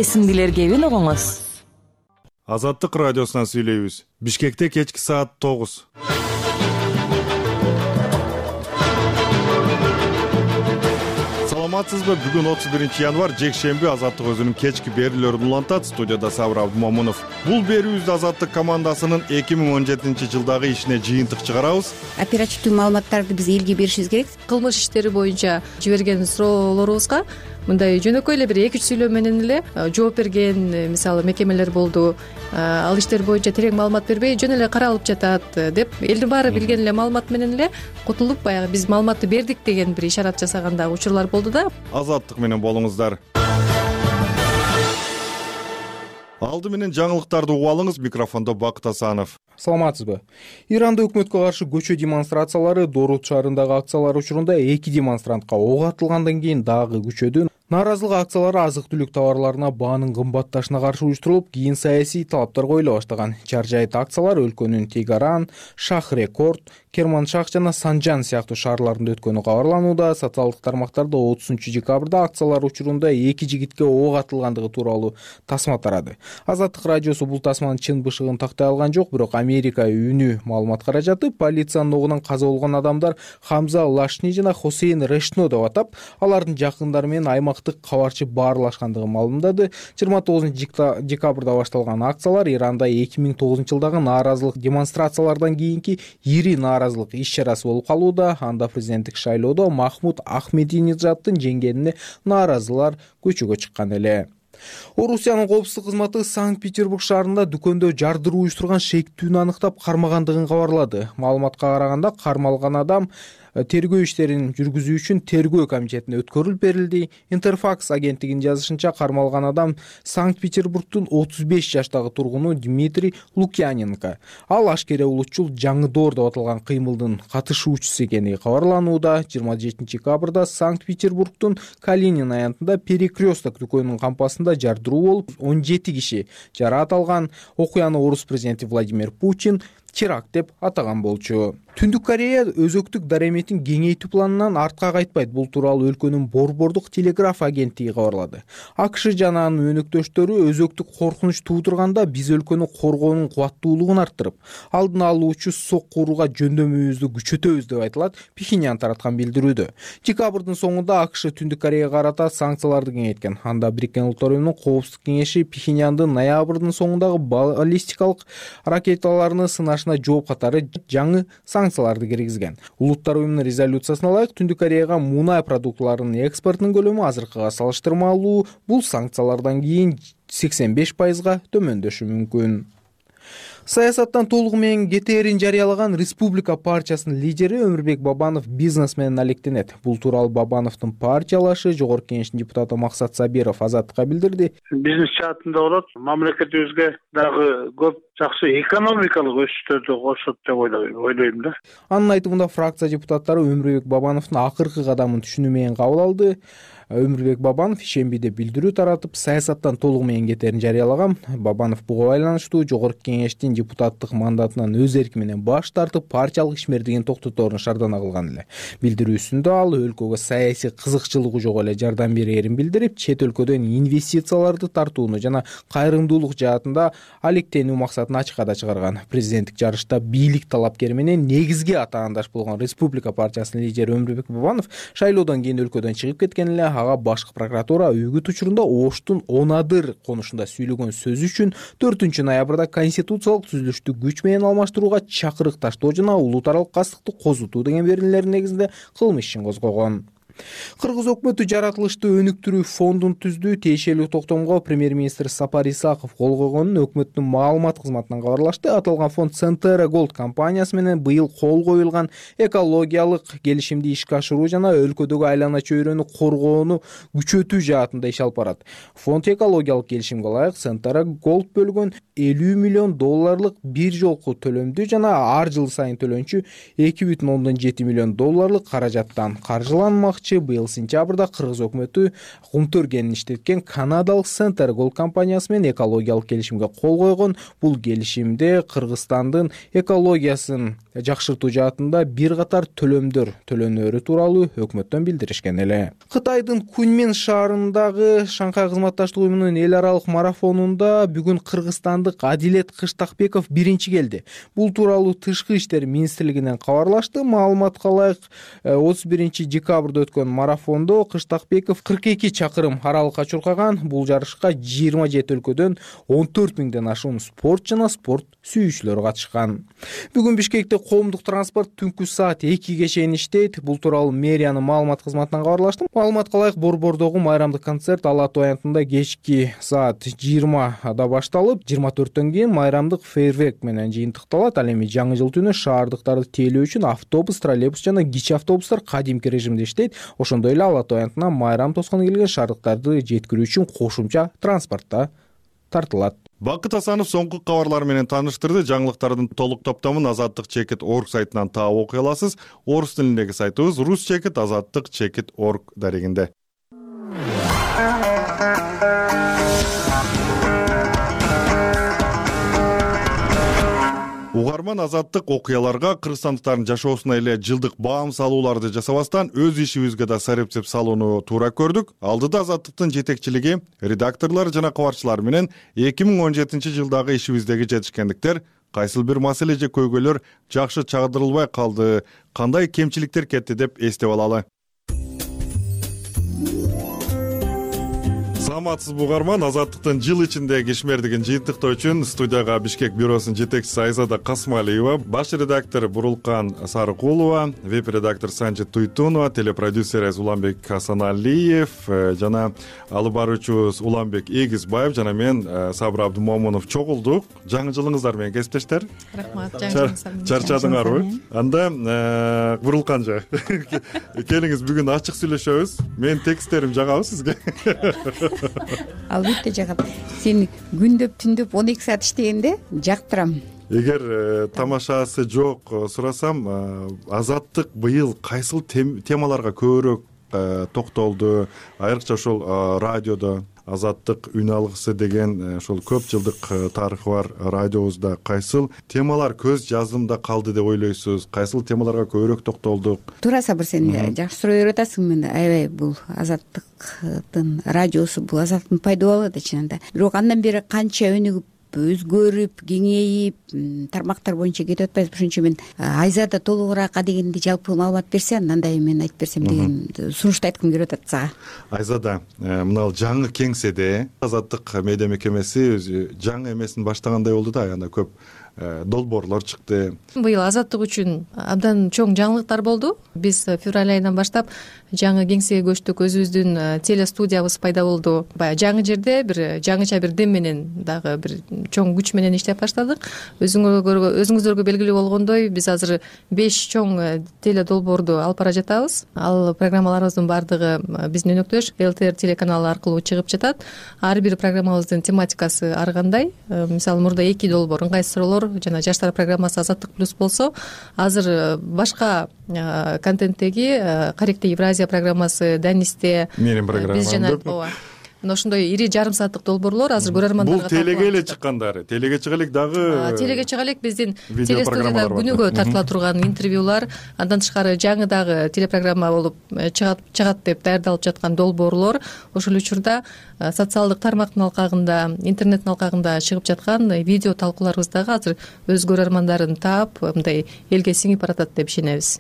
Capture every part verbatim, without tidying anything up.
Эсиңдилер кебин угуңуз. Азаттык радиосунан сүйлөйбүз. Бишкекте кечки саат тогуз. Саламатсызбы? Бүгүн отуз биринчи январь жекшемби. Азаттык өзүнүн кечки берүүлөрүн улантат. Студияда Сабыр Абдумомунов. Бул берүүбүздө Азаттык командасынын эки миң он жетинчи жылдагы ишине жыйынтык чыгарабыз. Оперативдүү маалыматтарды биз элге беришибиз керек. Кылмыш иштери боюнча жиберген суроолорубузга мындай жөнөкөй эле бир эки үч сүйлөө менен эле жооп берген мисалы мекемелер болду. Ал иштер боюнча терең маалымат бербей жөн эле каралып жатат деп элдин баары билген эле маалымат менен эле кутулуп баягы биз маалыматты бердик деген бир ишарат жасаган дагы учурлар болду да. Азаттык менен болуңуздар. Алды менен жаңылыктарды угуп алыңыз. Микрофондо Бакыт Асанов. Саламатсызбы? Иранда өкмөткө каршы көчө демонстрациялары Дорут шаарындагы акциялар учурунда эки демонстрантка ок атылгандан кийин дагы күчөдү. Нааразылык акциялары азык-түлүк товарларына баанын кымбатташына каршы уюштурулуп, кийин саясий талаптар коюла баштаган. Чаржайыт акциялар өлкөнүн Тегаран, Шах-Рекорд, Керманшах жана Санжан сыяктуу шаарларында өткөнү кабарланууда. Социалдык тармактарда отузунчу декабрда акциялар учурунда эки жигитке ок атылгандыгы тууралуу тасма тарады. Азаттык радиосу бул тасманын чын бышыгын тактай алган жок, бирок Америка үнү маалымат каражаты полициянын огунан каза болгон адамдар Хамза Лашни жана Хосейн Решно деп атап, алардын жакындары менен аймактык кабарчы баарлашкандыгын маалымдады. жыйырма тогузунчу декабрда башталган акциялар Иранда эки миң тогузунчу жылдагы нааразылык демонстрациялардан кийинки ири нааразылык иш-чарасы болуп калууда. Анда президенттик шайлоодо Махмуд Ахмединежаддын жеңгенине нааразылар көчөгө чыккан эле. Орусиянын коопсуздук кызматы Санкт-Петербург шаарында дүкөндө жардыруу уюштурган шектүүнү аныктап кармагандыгын кабарлады. Маалыматка караганда кармалган адам тергөө иштерин жүргүзүү үчүн тергөө комитетине өткөрүлүп берилди. Интерфакс агенттигинин жазышынча, кармалган адам Санкт-Петербургдун отуз беш жаштагы тургуну Дмитрий Лукьяненко. Ал ашкере улутчул жаңы-доор деп аталган кыймылдын катышуучусу экени кабарланууда. жыйырма жетинчи декабрда Санкт-Петербургдун Калинин аянтында Перекресток дүкөнүнүн кампасында жардыруу болуп, он жети киши жараат алган. Окуяны орус президенти Владимир Путин теракт деп атаган болчу. Түндүк Корея өзөктүк дареметин кеңейтүү планынан артка кайтпайт. Бул тууралуу өлкөнүн борбордук телеграф агенттиги кабарлады. АКШ жана анын өнөктөштөрү өзөктүк коркунуч туудурганда биз өлкөнү коргоонун кубаттуулугун арттырып, алдын алуучу сок курууга жөндөмүбүздү күчөтөбүз деп айтылат Пхеньян тараткан билдирүүдө. Декабрдын соңунда АКШ Түндүк Кореяга карата санкцияларды кеңейткен. Анда Бириккен Улуттар уюмунун коопсуздук кеңеши Пхеньяндын ноябрдын соңундагы баллистикалык ракеталарны сынашына жооп катары жаңы санкцияларды киргизген. Улуттар уюмунун резолюциясына ылайык Түндүк Кореяга мунай продуктларынын экспортунун көлөмү азыркыга салыштырмалуу бул санкциялардан кийин сексен беш пайызга төмөндөшү мүмкүн. Саясаттан толугу менен кетээрин жарыялаган Республика партиясынын лидери Өмүрбек Бабанов бизнес менен алектенет. Бул тууралуу Бабановдун партиялашы Жогорку Кеңештин депутаты Максат Сабиров Азаттыкка билдирди. Бизнес жаатында болот, мамлекетибизге дагы көп жакшы экономикалык өсүштөрдү кошот деп ойлойм да. Анын айтымында фракция депутаттары Өмүрбек Бабановдун акыркы кадамын түшүнүү менен кабыл алды. Өмүрбек Бабанов ишембиде билдирүү таратып, саясаттан толугу менен кетээрин жарыялаган. Бабанов буга байланыштуу Жогорку Кеңештин депутаттык мандатынан өз эрки менен баш тартып, партиялык ишмердигин токтоторун шаардана кылган эле. Билдирүүсүндө ал өлкөгө саясий кызыкчылыгы жок эле жардам берерин билдирип, чет өлкөдөн инвестицияларды тартууну жана кайрымдуулук жаатында алектенүү максатын ачыкка чыгарган. Президенттик жарышта бийлик талапкери менен негизги атаандаш болгон Республика партиясынын лидери Өмүрбек Бабанов шайлоодон кийин өлкөдөн чыгып кеткен эле. Ага башкы прокуратура үгүт учурунда Оштун Онадыр конушунда сүйлөгөн сөзү үчүн төртүнчү ноябрда конституциялык түзүлүштү күч менен алмаштырууга чакырык таштоо жана улут аралык кастыкты козутуу деген берүүлердин негизинде кылмыш ишин козгогон. Кыргыз өкмөтү жаратылышты өнүктүрүү фондун түздүү. Тиешелүү токтомго премьер-министр Сапар Исаков кол койгонун өкмөттүн маалымат кызматынан кабарлашты. Аталган фонд Центера Голд компаниясы менен быйыл кол коюлган экологиялык келишимди ишке ашыруу жана өлкөдөгү айлана чөйрөнү коргоону күчөтүү жаатында иш алып барат. Фонд экологиялык келишимге ылайык Центера Голд бөлгөн элүү миллион долларлык бир жолку төлөмдү жана ар жыл сайын төлөнчү эки бүтүн ондон жети миллион долларлык каражаттан каржыланмакчы. айтчы, быйыл сентябрда Кыргыз өкмөтү кумтөр кенин иштеткен канадалык Center Gold компаниясы менен экологиялык келишимге кол койгон. Бул келишимде Кыргызстандын экологиясын жакшыртуу жаатында бир катар төлөмдөр төлөнөөрү тууралуу өкмөттөн билдиришкен эле. Кытайдын Куньмин шаарындагы Шанхай кызматташтык уюмунун эл аралык марафонунда бүгүн кыргызстандык Адилет Кыштакбеков биринчи келди. Бул тууралуу Тышкы иштер министрлигинен кабарлашты. Маалыматка ылайык, отуз биринчи декабрда өткөн марафондо Кыштакбеков кырк эки чакырым аралыкка чуркаган. Бул жарышка жыйырма жети өлкөдөн он төрт миңден ашуун спорт жана спорт сүйүүчүлөр катышкан. Бүгүн Бишкекте коомдук транспорт түнкү саат экиге чейин иштейт. Бул тууралуу мэриянын маалымат кызматынан кабарлашты. Маалыматка ылайык, Борбордогу майрамдык концерт Ала Тоо аянтында кечки саат жыйырмада башталып, жыйырма төрттөн кийин майрамдык фейерверк менен жыйынтыкталат. Ал эми жаңы жыл түнү шаардыктарды тейлөө үчүн автобус, троллейбус жана кичи автобустар кадимки режимде иштейт. Ошондой эле Ала Тоо аянтына майрам тоскону келген шаардыктарды жеткирүү үчүн кошумча транспортта тартылат. Бакыт Асанов соңку кабарлар менен тааныштырды. Жаңылыктардын толук топтомун азаттык чекит точка орг сайтынан таап окуй аласыз. Орус тилиндеги сайтыбыз рус чекит азаттык чекит точка орг дарегинде. Угарман азаттык окуяларга кыргызстандыктардын жашоосуна эле жылдык баам салууларды жасабастан өз ишибизге да сарепсеп салууну туура көрдүк. Алдыда азаттыктын жетекчилиги, редакторлор жана кабарчылар менен эки миң он жетинчи жылдагы ишибиздеги жетишкендиктер, кайсыл бир маселе же көйгөйлөр жакшы чагдырылбай калды, кандай кемчиликтер кетти деп эстеп алалы. Саламатсыз угарман, азаттыктын жыл ичиндеги ишмердигин жыйынтыктоо үчүн студияга Бишкек бюросунун жетекчиси Айзада Касымалиева, баш редактор Бурулкан Сарыкулова, веб-редактор Санжи Туйтунова, телепродюсер Уланбек Хасаналиев жана алып баруучубуз Уланбек Эгизбаев жана мен Сабыр Абдумомунов чогулдук. Жаңы жылыңыздар менен кесиптештер. Рахмат, жаңы жылыңыз. Чарчадыңарбы? Анда Бурулканжа келиңиз, бүгүн ачык сүйлөшөбүз. Менин тексттерим жагабы сизге? Албетте жагат. Сен күндөп түндөп он эки саат иштегенде жактырам. Эгер тамашасы жок сурасам, азаттык быйыл кайсыл темаларга көбүрөөк токтолду? Айрыкча ошол радиодо азаттык үн алгысы деген ошол көп жылдык тарыхы бар радиобузда кайсыл темалар көз жазымда калды деп ойлойсуз? Кайсыл темаларга көбүрөөк токтолдук? Туура Сабыр, сен жакшы суроо берип атасың. Мен аябай бул азаттыктын радиосу, бул азаттыктын пайдабалы да чынында. Бирок андан бери канча өнүгүп, өзгөрүп, кеңейип, тармактар боюнча кетип атпайбыз. Ошон мен Айзада толугураак дегенди жалпы маалымат берсе, андан да мен айтып берсем деген сунушту айткым келип атат сага. Айзада, мына жаңы кеңседе азаттык медиа мекемеси жаңы эмесин баштагандай болду да, анда көп долбоорлор чыкты. Быйыл азаттык үчүн абдан чоң жаңылыктар болду. Биз февраль айынан баштап жаңы кеңсеге көчтүк, өзүбүздүн телестудиябыз пайда болду. Баягы жаңы жерде бир жаңыча бир дем менен, дагы бир чоң күч менен иштеп баштадык. Өзүңөргө өзүңүздөргө белгилүү болгондой, биз азыр беш чоң теле долбоорду алып бара жатабыз. Ал программаларыбыздын баардыгы биздин өнөктөш эл тэ эр телеканалы аркылуу чыгып жатат. Ар бир программабыздын тематикасы ар кандай. Мисалы, мурда эки долбоор, ыңгайсыз суроолор жана жаштар программасы Азаттык плюс болсо, азыр башка контенттеги Каректе Евразия программасы, Данисте менин программам биз жана ооба. Мына ошондой ири жарым сааттык долбоорлор азыр көрөрмандарга бул телеге эле чыккандары. Телеге чыга элек дагы. Телеге чыга элек биздин телестудияда күнүгө тартыла турган интервьюлар, андан тышкары жаңы дагы телепрограмма болуп чыгат чыгат деп даярдалып жаткан долбоорлор. Ошол учурда социалдык тармактын алкагында, интернеттин алкагында чыгып жаткан видео талкууларыбыз дагы азыр өз көрөрмандарын таап, мындай элге сиңип баратат деп ишенебиз.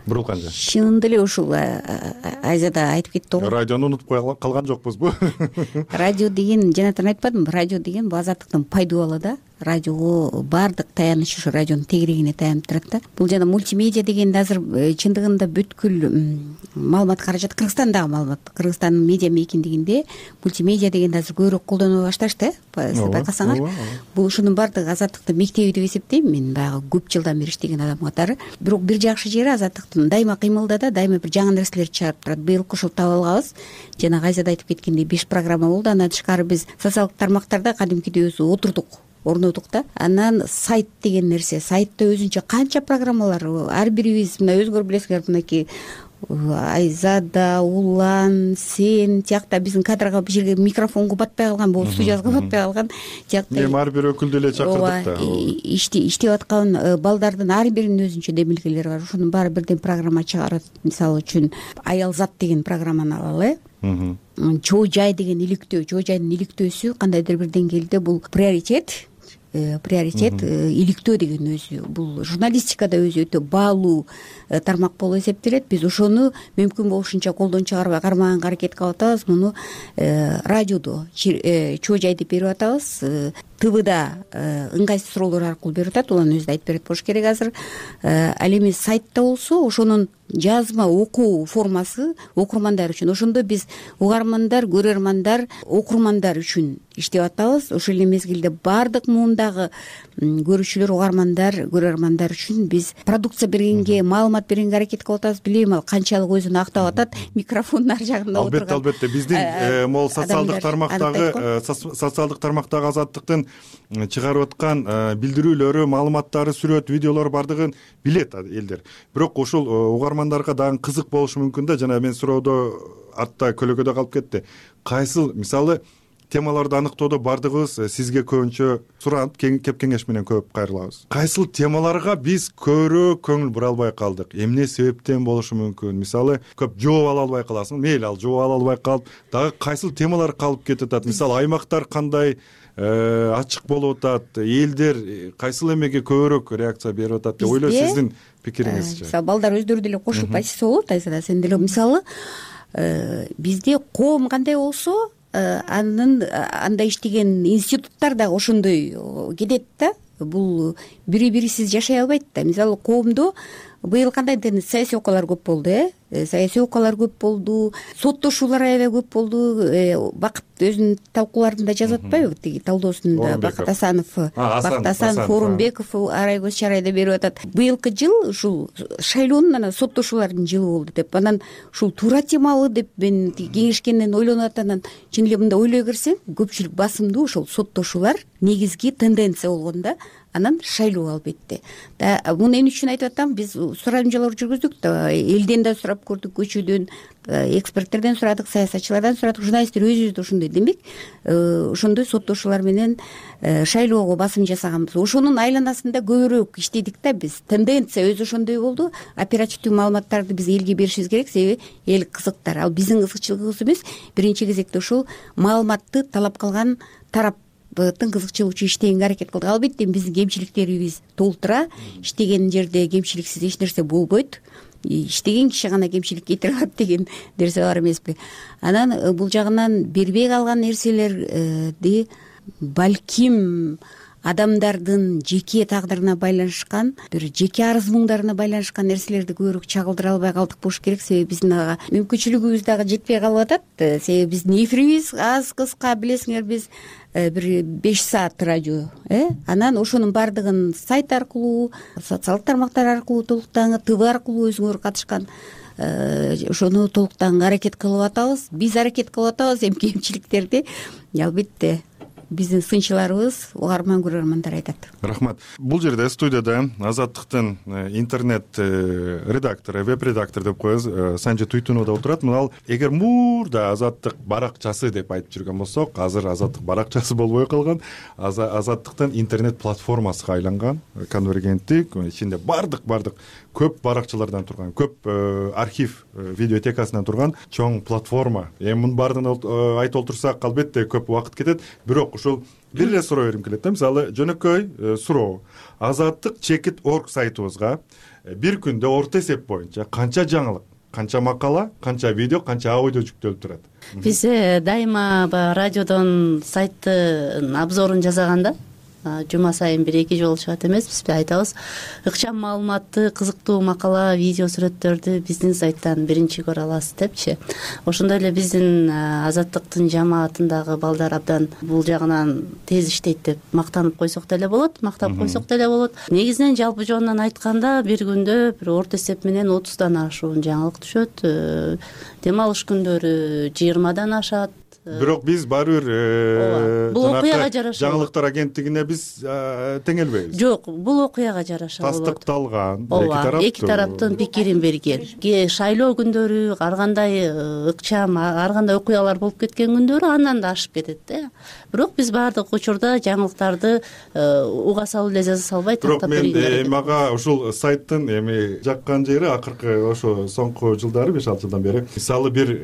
Бурулканжа. Чынында эле ушул Айзада айтып кетти го. Радиону унутуп калган жокпузбу? Радио деген, жанатан айтпадымбы, радио деген бул азаттыктын пайдабалы да. Радиого баардык таяныч ушу радионун тегерегине таянып турат да. Бул жана мультимедиа дегенде азыр чындыгында бүткүл маалымат каражат Кыргызстандагы маалымат, Кыргызстандын медиа мейкиндигинде мультимедиа дегенди азыр көбүрөөк колдоно башташты, сиз байкасаңар. Бул ушунун баардыгы азаттыктын мектеби деп эсептейм мен, баягы көп жылдан бери иштеген адам катары. Бирок бир жакшы жери азаттыктын дайыма кыймылда да, дайыма бир жаңы нерселер чыгарып турат. Быйылкы ушул таап алганбыз. Жана Айзада айтып кеткендей беш программа болду. Андан тышкары биз социалдык тармактарда кадимкидей өзү отурдук. Орнотук да. Анан сайт деген нерсе, сайтта өзүнчө канча программалар, ар бирибиз мына өзүңөр билесиңер, мынакей Айзада, Улан, сен тиякта биздин кадрга бул жерге микрофонго батпай калган, бул студияга батпай калган тиякта эми ар бир өкүлдү эле чакырдык да. иштеп аткан балдардын ар биринин өзүнчө демилгелери бар. Ошонун баары бирден программа чыгарат. Мисалы үчүн Аял зат деген программаны алалы. Чоо жай деген иликтөө, чоо жайдын иликтөөсү кандайдыр бир деңгээлде бул приоритет приоритет иликтөө деген өзү бул журналистикада өзү өтө баалуу тармак болуп эсептелет. Биз ошону мүмкүн болушунча колдон чыгарбай кармаганга аракет кылып атабыз. Муну радиодо чоо жай деп берип атабыз. ТВда ыңгайсыз суроолор аркылуу берип атат. Улан өзү да айтып берет болуш керек азыр. Ал эми сайтта болсо ошонун жазма окуу формасы окурмандар үчүн. Ошондо биз угармандар, көрөрмандар, окурмандар үчүн иштеп атабыз. Ошол эле мезгилде баардык муундагы көрүүчүлөр, угармандар, көрөрмандар үчүн биз продукция бергенге, маалымат бергенге аракет кылып атабыз. Билбейм ал канчалык өзүн актап атат микрофондун ар жагында отурган. Албетте, албетте. Биздин могул социалдык тармактагы социалдык тармактагы Азаттыктын чыгарып аткан билдирүүлөрү, маалыматтары, сүрөт, видеолор бардыгын билет элдер. Бирок ушул угармандарга дагы кызык болушу мүмкүн да. Жана мен суроодо артта көлөкөдө калып кетти. Кайсыл мисалы темаларды аныктоодо бардыгыбыз сизге көбүнчө суранып, кеп кеңеш менен көп кайрылабыз. Кайсыл темаларга биз көбүрөөк көңүл бура албай калдык? Эмне себептен болушу мүмкүн? Мисалы көп жооп ала албай каласың. Мейли ал жооп ала албай калып, дагы кайсыл темалар калып кетип атат? Мисалы аймактар кандай ачык болуп атат? Элдер кайсыл эмеге көбүрөөк реакция берип атат деп ойлойсуз? Сиздин пикириңизчи? Мисалы балдар өздөрү деле кошулуп айтса болот. Айзада, сен деле мисалы бизде коом кандай болсо анын анда иштеген институттар дагы ошондой кетет да. Бул бири бирисиз жашай албайт да. Мисалы коомдо быйыл кандайдыр саясий окуялар көп болду, э саясий окуялар көп болду, соттошуулар аябай көп болду. Бакыт өзүнүн талкууларында жазып атпайбы, тиги талдоосунда Бакыт Асанов, Бакыт Асанов, Орунбеков арай көз чарайда берип атат. Быйылкы жыл ушул шайлоонун анан соттошуулардын жылы болду деп. Анан ушул туура темалуу деп мен кеңешкенден ойлонуп атат. Анан чын эле мындай ойлой берсең, көпчүлүк басымдуу ошол соттошуулар негизги тенденция болгон да. Анан шайлоо албетте. Да, муну эмне үчүн айтып атам? Биз сурамжалоо жүргүздүк да, элден да сурап көрдүк, көчөдөн, эксперттерден сурадык, саясатчылардан сурадык, журналисттер өзүбүз да ошондой. Демек, ошондой соттошуулар менен шайлоого басым жасаганбыз. Ошонун айланасында көбүрөөк иштедик да биз. Тенденция өзү ошондой болду. Оперативдүү маалыматтарды биз элге беришибиз керек, себеби эл кызыктар. Ал биздин кызыкчылыгыбыз эмес, биринчи кезекте ушул маалыматты талап кылган тарап тын кызыкчылыгы иштегенге аракет кылдык. Албетте биздин кемчиликтерибиз толтура. Иштеген жерде кемчиликсиз эч нерсе болбойт. Иштеген киши гана кемчилик кетире алат деген нерсе бар эмеспи? Анан бул жагынан бербей калган нерселерди балким адамдардын жеке тагдырына байланышкан, бир жеке арыз муңдарына байланышкан нерселерди көбүрөөк чагылдыра албай калдык болуш керек. Себеби биздин ага мүмкүнчүлүгүбүз дагы жетпей калып атат. Себеби биздин эфирибиз аз кыска, билесиңер, биз бир беш саат радио, э анан ошонун баардыгын сайт аркылуу, социалдык тармактар аркылуу толуктан, ТВ аркылуу өзүңөр катышкан ошону толуктан аракет кылып атабыз. Биз аракет кылып атабыз. Эми кемчиликтерди албетте биздин сынчыларыбыз, угарман, көрөрмандар айтат. Рахмат. Бул жерде студияда Азаттыктын интернет редактору, веб-редактор деп коебуз, Санжы Туйтунова отурат. Мынал эгер мурда Азаттык баракчасы деп айтып жүргөн болсок, азыр Азаттык баракчасы болбой калган. Азаттыктын интернет платформасына айланган, конвергенттик, ичинде бардык бардык көп баракчалардан турган, көп архив видеотекасынан турган чоң платформа. Эми мунун баардыгын айтып олтурсак, албетте көп убакыт кетет. Бирок ушул бир эле суроо берим келет да. Мисалы, жөнөкөй суроо. Азаттык чекит орг сайтыбызга бир күндө орто эсеп боюнча канча жаңылык, канча макала, канча видео, канча аудио жүктөлүп турат? Биз дайыма баягы радиодон сайттын обзорун жасаганда жума сайын бир эки жолу чыгат эмеспизби, айтабыз. Ыкчам маалыматты, кызыктуу макала, видео, сүрөттөрдү биздин сайттан биринчи көрө аласыз депчи. Ошондой эле биздин Азаттыктын жамаатындагы балдар абдан бул жагынан тез иштейт деп мактанып койсок деле болот, мактап койсок деле болот. Негизинен жалпы жонунан айтканда бир күндө бир орто эсеп менен отуздан ашуун жаңылык түшөт. Дем алыш күндөрү жыйырмадан ашат. бирок биз баары бир бул окуяга жараша жаңылыктар агенттигине биз теңелбейбиз. Жок, бул окуяга жараша болот. Тастыкталган эки тараптын пикирин берген. Шайлоо күндөрү ар кандай ыкчам, ар кандай окуялар болуп кеткен күндөрү андан да ашып кетет да. Бирок биз баардык учурда жаңылыктарды уга салуу эле жаза салбай тактап бергенбиз. Бирок мен мага ушул сайттын эми жаккан жери акыркы ошо соңку жылдары беш алты жылдан бери мисалы бир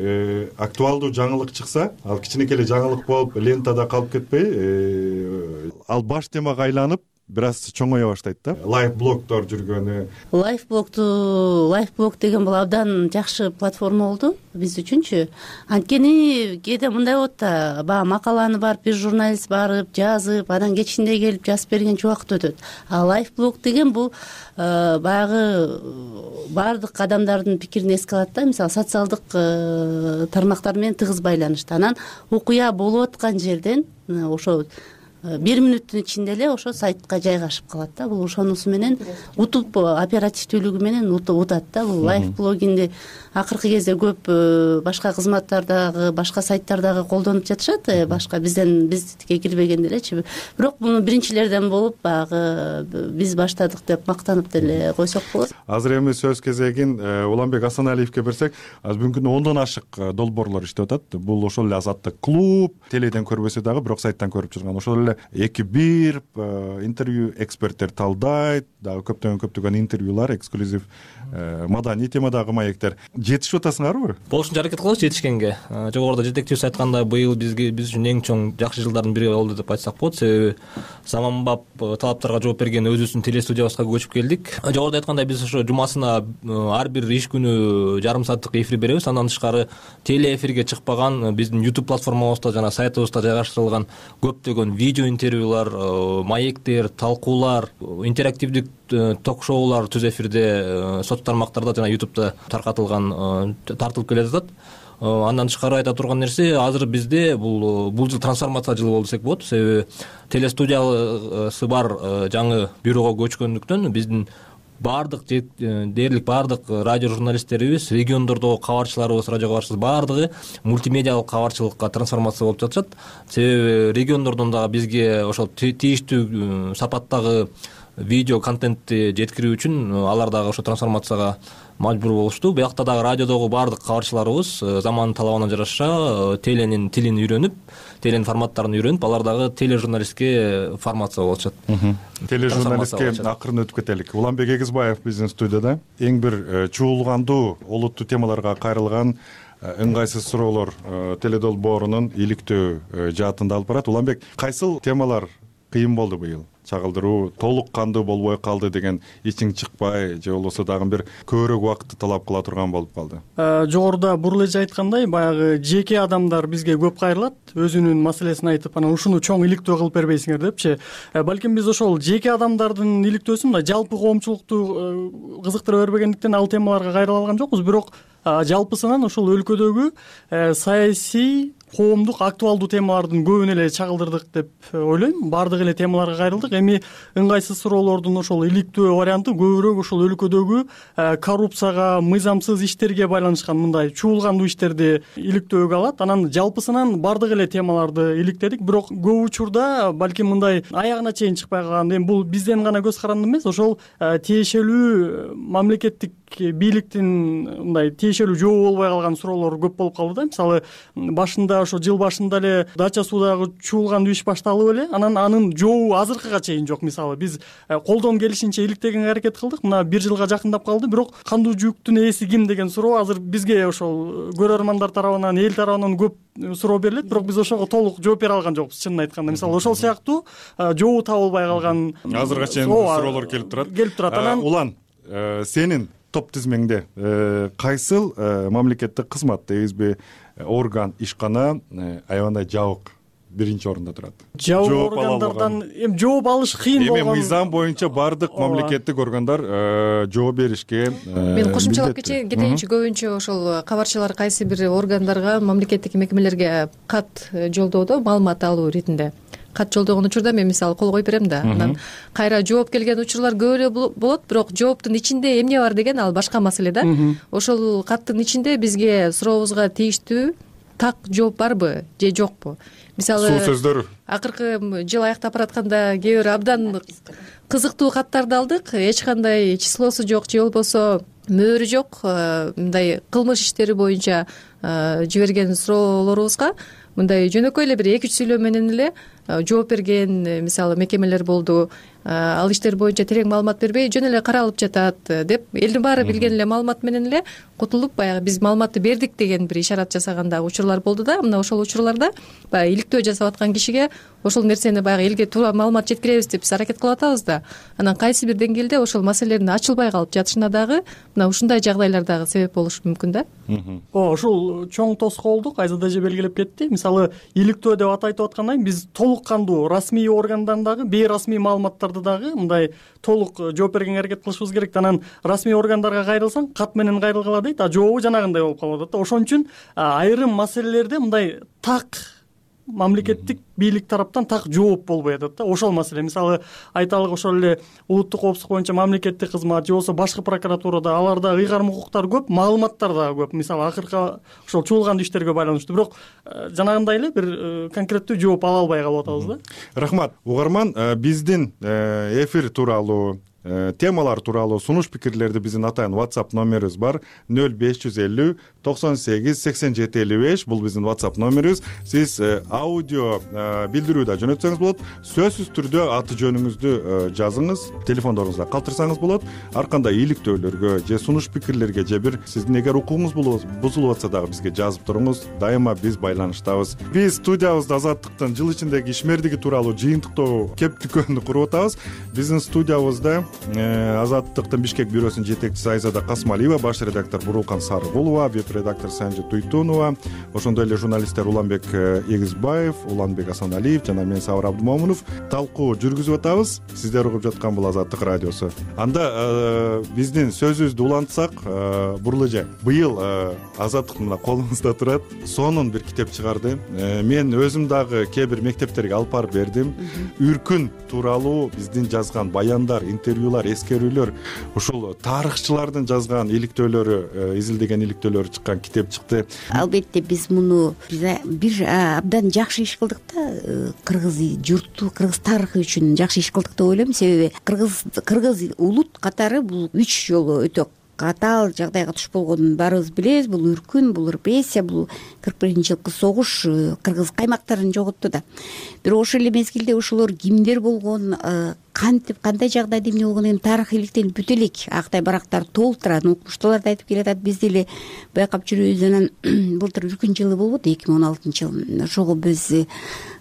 актуалдуу жаңылык чыкса, ал кичинекей эле жаңылык болуп лентада калып кетпей, ал баш темага айланып бир аз чоңое баштайт да. Лайф блогдор жүргөнү. Лайф блогду, лайф блог деген бул абдан жакшы платформа болду биз үчүнчү. Анткени кээде мындай болот да, баягы макаланы барып бир журналист барып жазып, анан кечинде келип жазып бергенче убакыт өтөт. А лайф блог деген бул баягы баардык адамдардын пикирин эске алат да, мисалы социалдык тармактар менен тыгыз байланышты. Анан окуя болуп аткан жерден ошо бир мүнөттүн ичинде эле ошо сайтка жайгашып калат да. Бул ошонусу менен утуп, оперативдүүлүгү менен утат да. Бул лайф блогинди акыркы кезде көп башка кызматтардагы, башка сайттардагы колдонуп жатышат, башка бизден биздикке кирбеген делечи. Бирок муну биринчилерден болуп баягы биз баштадык деп мактанып деле койсок болот. Азыр эми сөз кезегин Уланбек Асаналиевке берсек, азыр бүгүнкү күндө ондон ашык долбоорлор иштеп атат. Бул ошол эле Азаттык клуб, теледен көрбөсө дагы, бирок сайттан көрүп жүргөн. Ошол эле эки бир интервью, эксперттер талдайт, дагы көптөгөн көптөгөн интервьюлар, эксклюзив маданий темадагы маектер. Жетишип атасыңарбы? Болушунча аракет кылабыз жетишкенге. Жогоруда жетекчибиз айткандай, быйыл бизге биз үчүн эң чоң жакшы жылдардын бири болду деп айтсак болот. Себеби заманбап талаптарга жооп берген өзүбүздүн телестудиябызга көчүп келдик. Жогоруда айткандай, биз ошо жумасына ар бир иш күнү жарым сааттык эфир беребиз. Андан тышкары телеэфирге чыкпаган биздин YouTube платформабызда жана сайтыбызда жайгаштырылган көптөгөн видео интервьюлар, маектер, талкуулар, интерактивдик ток-шоулар түз эфирде соц тармактарда жана YouTube'да таркатылган, тартылып келе жатат. Андан тышкары айта турган нерсе, азыр бизде бул бул жыл трансформация жылы болду десек болот. Себеби телестудиясы бар жаңы бюрого көчкөндүктөн биздин баардык дээрлик баардык радио журналисттерибиз, региондордогу кабарчыларыбыз, радио кабарчыларыбыз баардыгы мультимедиалык кабарчылыкка трансформация болуп жатышат. Себеби региондордон дагы бизге ошол тийиштүү сапаттагы видео контентти жеткирүү үчүн алар дагы ошо трансформацияга мажбур болушту. Биякта дагы радиодогу баардык кабарчыларыбыз замандын талабына жараша теленин тилин үйрөнүп, теленин форматтарын үйрөнүп, алар дагы тележурналистке формация болушат. Тележурналистке акырын өтүп кетелик. Уланбек Эгизбаев биздин студияда. Эң бир чуулгандуу, олуттуу темаларга кайрылган ыңгайсыз суроолор теледолбоорунун иликтөө жаатында алып барат. Уланбек, кайсыл темалар кыйын болду быйыл? Чагылдыруу толук кандуу болбой калды деген ичиң чыкпай, же болбосо дагы бир көбүрөөк убакытты талап кыла турган болуп калды? Жогоруда бурул эже айткандай, баягы жеке адамдар бизге көп кайрылат, өзүнүн маселесин айтып, анан ушуну чоң иликтөө кылып бербейсиңер депчи. Балким биз ошол жеке адамдардын иликтөөсүн мындай жалпы коомчулукту кызыктыра бербегендиктен ал темаларга кайрыла алган жокпуз. Бирок жалпысынан ошол өлкөдөгү саясий, коомдук актуалдуу темалардын көбүн эле чагылдырдык деп ойлойм. Баардык эле темаларга кайрылдык. Эми ыңгайсыз суроолордун ошол иликтөө варианты көбүрөөк ошол өлкөдөгү коррупцияга, мыйзамсыз иштерге байланышкан мындай чуулгандуу иштерди иликтөөгө алат. Анан жалпысынан баардык эле темаларды иликтедик. Бирок көп учурда балким мындай аягына чейин чыкпай калган, эми бул бизден гана көз каранды эмес, ошол тиешелүү мамлекеттик бийликтин мындай тиешелүү жообу болбой калган суроолор көп болуп калды да. Мисалы башында ошо жыл башында эле Дача суудагы чуулгандуу иш башталып эле, анан анын жообу азыркыга чейин жок. Мисалы биз колдон келишинче иликтегенге аракет кылдык, мына бир жылга жакындап калды, бирок кандуу жүктүн ээси ким деген суроо азыр бизге ошол көрөрмандар тарабынан, эл тарабынан көп суроо берилет, бирок биз ошого толук жооп бере алган жокпуз, чынын айтканда. Мисалы ошол сыяктуу жообу табылбай калган азырга чейин суроолор келип турат. Келип турат. Анан Улан, сенин топ тизмеңде кайсыл мамлекеттик кызмат дейбизби, орган, ишкана аябандай жабык биринчи орунда турат? Жабык органдардан эми жооп алыш кыйын болгон. Эми мыйзам боюнча баардык мамлекеттик органдар жооп беришке. Мен кошумчалап кетейинчи. Көбүнчө ошол кабарчылар кайсы бир органдарга, мамлекеттик мекемелерге кат жолдоодо, маалымат алуу иретинде кат жолдогон учурда мен мисалы кол коюп берем да. Анан кайра жооп келген учурлар көп эле болот, бирок жооптун ичинде эмне бар деген ал башка маселе да. Ошол каттын ичинде бизге сурообузга тийиштүү так жооп барбы же жокпу? Мисалы суу сөздөрү акыркы жыл аяктап баратканда кээ бир абдан кызыктуу каттарды алдык, эч кандай числосу жок же болбосо мөөрү жок мындай кылмыш иштери боюнча жиберген суроолорубузга мындай жөнөкөй эле бир эки үч сүйлөө менен эле жооп берген мисалы мекемелер болду. Ал иштер боюнча терең маалымат бербей жөн эле каралып жатат деп элдин баары билген эле маалымат менен эле кутулуп баягы биз маалыматты бердик деген бир ишарат жасаган дагы учурлар болду да. Мына ошол учурларда баягы иликтөө жасап аткан кишиге ошол нерсени баягы элге туура маалымат жеткиребиз деп биз аракет кылып атабыз да. Анан кайсы бир деңгээлде ошол маселелердин ачылбай калып жатышына дагы мына ушундай жагдайлар дагы себеп болушу мүмкүн да. Ооба, ушул чоң тоскоолдук Айзада эже белгилеп кетти. Мисалы иликтөө деп ат айтып аткандан кийин биз толук кандуу расмий органдан дагы бейрасмий маалыматтарды дагы мындай толук жооп бергенге аракет кылышыбыз керек. Анан расмий органдарга кайрылсаң кат менен кайрылгыла дейт, а жообу жанагындай болуп калып атат да. Ошон үчүн айрым маселелерде мындай так мамлекеттик бийлик тараптан так жооп болбой атат да. Ошол маселе мисалы айталык ошол эле улуттук коопсуздук боюнча мамлекеттик кызмат же болбосо башкы прокуратурада аларда ыйгарым укуктар көп, маалыматтар дагы көп. Мисалы акыркы ошол чуулган иштерге байланыштуу, бирок жанагындай эле бир конкреттүү жооп ала албай калып атабыз да. Рахмат. Угарман, биздин эфир тууралуу темалар тууралуу сунуш пикирлерди биздин атайын WhatsApp номерибиз бар нөл беш жүз элүү токсон сегиз сексен жети элүү беш. Бул биздин WhatsApp номерибиз. Сиз аудио билдирүү да жөнөтсөңүз болот. Сөзсүз түрдө аты жөнүңүздү жазыңыз, телефондоруңузда калтырсаңыз болот. Ар кандай иликтөөлөргө же сунуш пикирлерге же бир сиздин эгер укугуңуз бузулуп атса дагы бизге жазып туруңуз. Дайыма биз байланыштабыз. Биз студиябызда Азаттыктын жыл ичиндеги ишмердиги тууралуу жыйынтыктоо кеп дүкөнү куруп атабыз. Биздин студиябызда Азаттыктын Бишкек бюросунун жетекчиси Айзада Касмалиева, баш редактор Бурулкан Сарыгулова, веб редактор Санжы Туйтунова, ошондой эле журналисттер Уланбек Эгизбаев, Уланбек Асаналиев жана мен Сабыр Абдымомунов талкуу жүргүзүп атабыз. Сиздер угуп жаткан бул Азаттык радиосу. Анда биздин сөзүбүздү улантсак, Буруул эже, быйыл Азаттык мына колуңузда турат, сонун бир китеп чыгарды. Мен өзүм дагы кээ бир мектептерге алып барып бердим. Үркүн тууралуу биздин жазган баяндар, интервьюлар, эскерүүлөр, ушул тарыхчылардын жазган иликтөөлөрү, изилдеген иликтөөлөрү чыккан китеп чыкты. Албетте биз муну бир абдан жакшы иш кылдык да, кыргыз журту, кыргыз тарыхы үчүн жакшы иш кылдык деп ойлойм. Себеби кыргыз кыргыз улут катары бул үч жолу өтө катаал жагдайга туш болгонун баарыбыз билебиз. Бул үркүн, бул репрессия, бул кырк биринчи жылкы согуш кыргыз каймактарын жоготту да. Бирок ошол эле мезгилде ошолор кимдер болгон, кантип кандай жагдайда эмне болгонун тарых иликтелип бүтө элек актай барактар толтурат, укмуштууларды айтып келатат. Биз деле байкап жүрөбүз. Анан былтыр үркүн жылы болбоду, эки миң он алтынчы жыл. Ошого биз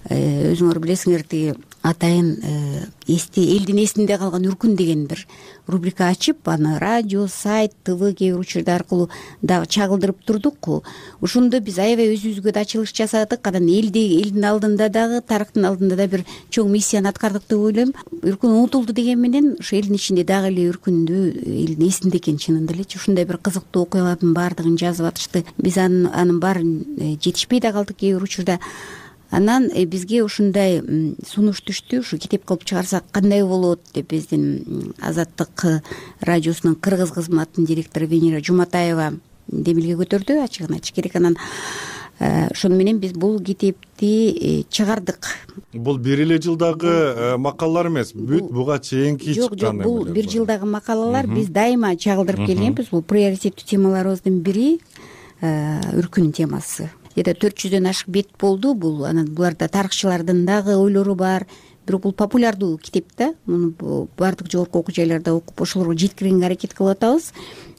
өзүңөр билесиңер тиги атайын эсте элдин эсинде калган үркүн деген бир рубрика ачып, аны радио, сайт, ТВ кээ бир учурда аркылуу дагы чагылдырып турдук. Ошондо биз аябай өзүбүзгө да ачылыш жасадык. Анан элди элдин алдында дагы, тарыхтын алдында да бир чоң миссияны аткардык деп ойлойм. Үркүн унутулду деген менен ошо элдин ичинде дагы эле үркүндү элдин эсинде экен чынында элечи. Ушундай бир кызыктуу окуялардын баардыгын жазып атышты. Биз анын анын баарын жетишпей да калдык кээ бир учурда. Анан бизге ушундай сунуш түштү, ушу китеп кылып чыгарсак кандай болот деп биздин Азаттык радиосунун кыргыз кызматынын директору Венера Жуматаева демилге көтөрдү, ачыгын айтыш керек. Анан ошону менен биз бул китепти чыгардык. Бул бир эле жылдагы макалалар эмес, бүт буга чейинки чыккан. Жок, бул бир жылдагы макалалар. Биз дайыма чагылдырып келгенбиз. Бул приоритеттүү темаларыбыздын бири үркүн темасы. Эде төрт жүздөн ашык бет болду бул. Анан буларда тарыхчылардын дагы ойлору бар. Бирок бул популярдуу китеп да. Муну баардык жогорку окуу жайларда окуп ошолорго жеткиргенге аракет кылып атабыз.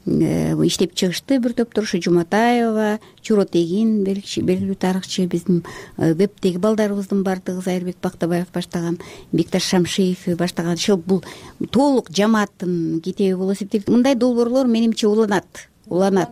Иштеп чыгышты бир топтор, ушу Жуматаева, Чуротегин белгилүү тарыхчы, биздин вебтеги балдарыбыздын баардыгы, Зайырбек Бактабаев баштаган, Бекташ Шамшиев баштаган. Ошол бул толук жамааттын китеби болуп эсептелет. Мындай долбоорлор менимче уланат. уланат.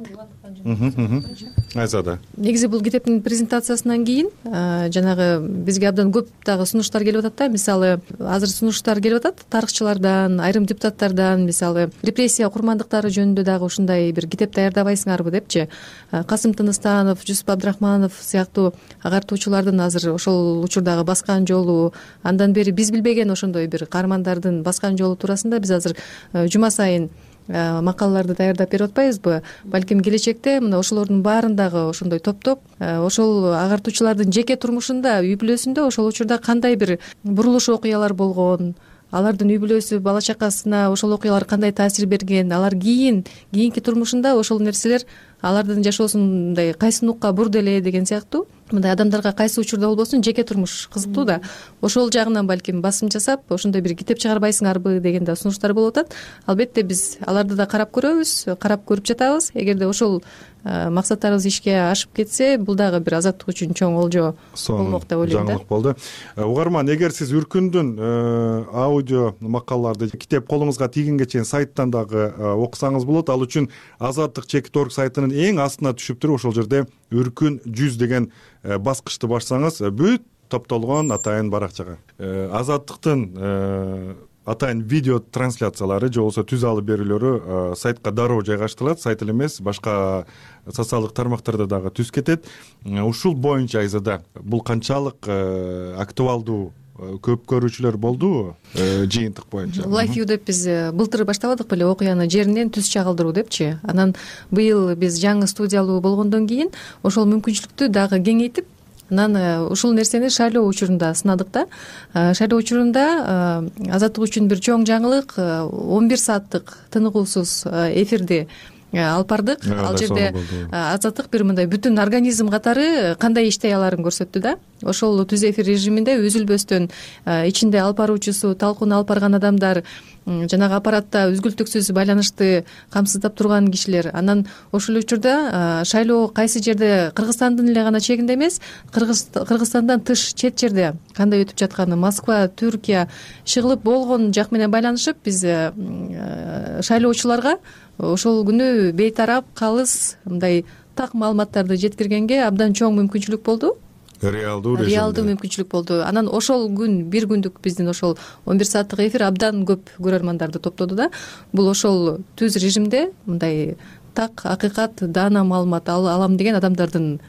Айзада. Негизи бул китептин презентациясынан кийин жанагы бизге абдан көп дагы сунуштар келип атат да. Мисалы, азыр сунуштар келип атат тарыхчылардан, айрым депутаттардан, мисалы, репрессия курмандыктары жөнүндө дагы ушундай бир китеп даярдабайсыңарбы депчи. Касым Тыныстанов, Жусуп Абдрахманов сыяктуу агартуучулардын азыр ошол учурдагы баскан жолу, андан бери биз билбеген ошондой бир каармандардын баскан жолу туурасында биз азыр жума сайын макалаларды даярдап берип атпайбызбы, балким келечекте мына ошолордун баарын дагы ошондой топтоп, ошол агартуучулардын жеке турмушунда, үй бүлөсүндө ошол учурда кандай бир бурулуш окуялар болгон, алардын үй бүлөсү, бала чакасына ошол окуялар кандай таасир берген, алар кийин кийинки турмушунда ошол нерселер алардын жашоосун мындай кайсы нукка бурду эле деген сыяктуу, мындай адамдарга кайсы учурда болбосун жеке турмуш кызыктуу да, ошол жагынан балким басым жасап ошондой бир китеп чыгарбайсыңарбы деген да сунуштар болуп атат. Албетте биз аларды да карап көрөбүз, карап көрүп жатабыз. Эгерде ошол максаттарыбыз ишке ашып кетсе, бул дагы бир азаттык үчүн чоң олжо болмок деп ойлойм да. Жаңылык болду. Угарман, эгер сиз Үркүндүн аудио макалаларды китеп колуңузга тийгенге чейин сайттан дагы окусаңыз болот. Ал үчүн азаттык чекит орг сайтынын эң астына түшүптүр, ошол жерде Үркүн жүз деген баскычты бассаңыз бүт топтолгон атайын баракчага азаттыктын атайын видео трансляциялары же болбосо түз алып берүүлөрү сайтка дароо жайгаштырылат. Сайт эле эмес, башка социалдык тармактарда дагы түз кетет. Ушул боюнча Айзада бул канчалык актуалдуу, көп көрүүчүлөр болдубу жыйынтык боюнча? Life view деп биз былтыр баштабадык беле, окуяны жеринен түз чагылдыруу депчи. Анан быйыл биз жаңы студиялуу болгондон кийин ошол мүмкүнчүлүктү дагы кеңейтип, анан ушул нерсени шайлоо учурунда сынадык да. Шайлоо учурунда азаттык үчүн бир чоң жаңылык, он бир сааттык тыныгуусуз эфирди алып бардык. Ал жерде азаттык бир мындай бүтүн организм катары кандай иштей аларын көрсөттү да. Ошол түз эфир режиминде үзүлбөстөн ичинде алып баруучусу, талкууну алып барган адамдар, жанагы аппаратта үзгүлтүксүз байланышты камсыздап турган кишилер. Анан ошол учурда шайлоо кайсы жерде, Кыргызстандын эле гана чегинде эмес, Кыргызстандан тыш чет жерде кандай өтүп жатканы, Москва, Түркия, Шыгылып болгон жак менен байланышып, биз шайлоочуларга ошол күнү бейтарап, калыс, мындай так маалыматтарды жеткиргенге абдан чоң мүмкүнчүлүк болду. Реалдуу режимде. Реалдуу мүмкүнчүлүк болду. Анан ошол күн, бир күндүк биздин ошол он бир сааттык эфир абдан көп көрөрмандарды топтоду да. Бул ошол түз режимде мындай так, акыйкат, даана маалымат алам деген адамдардын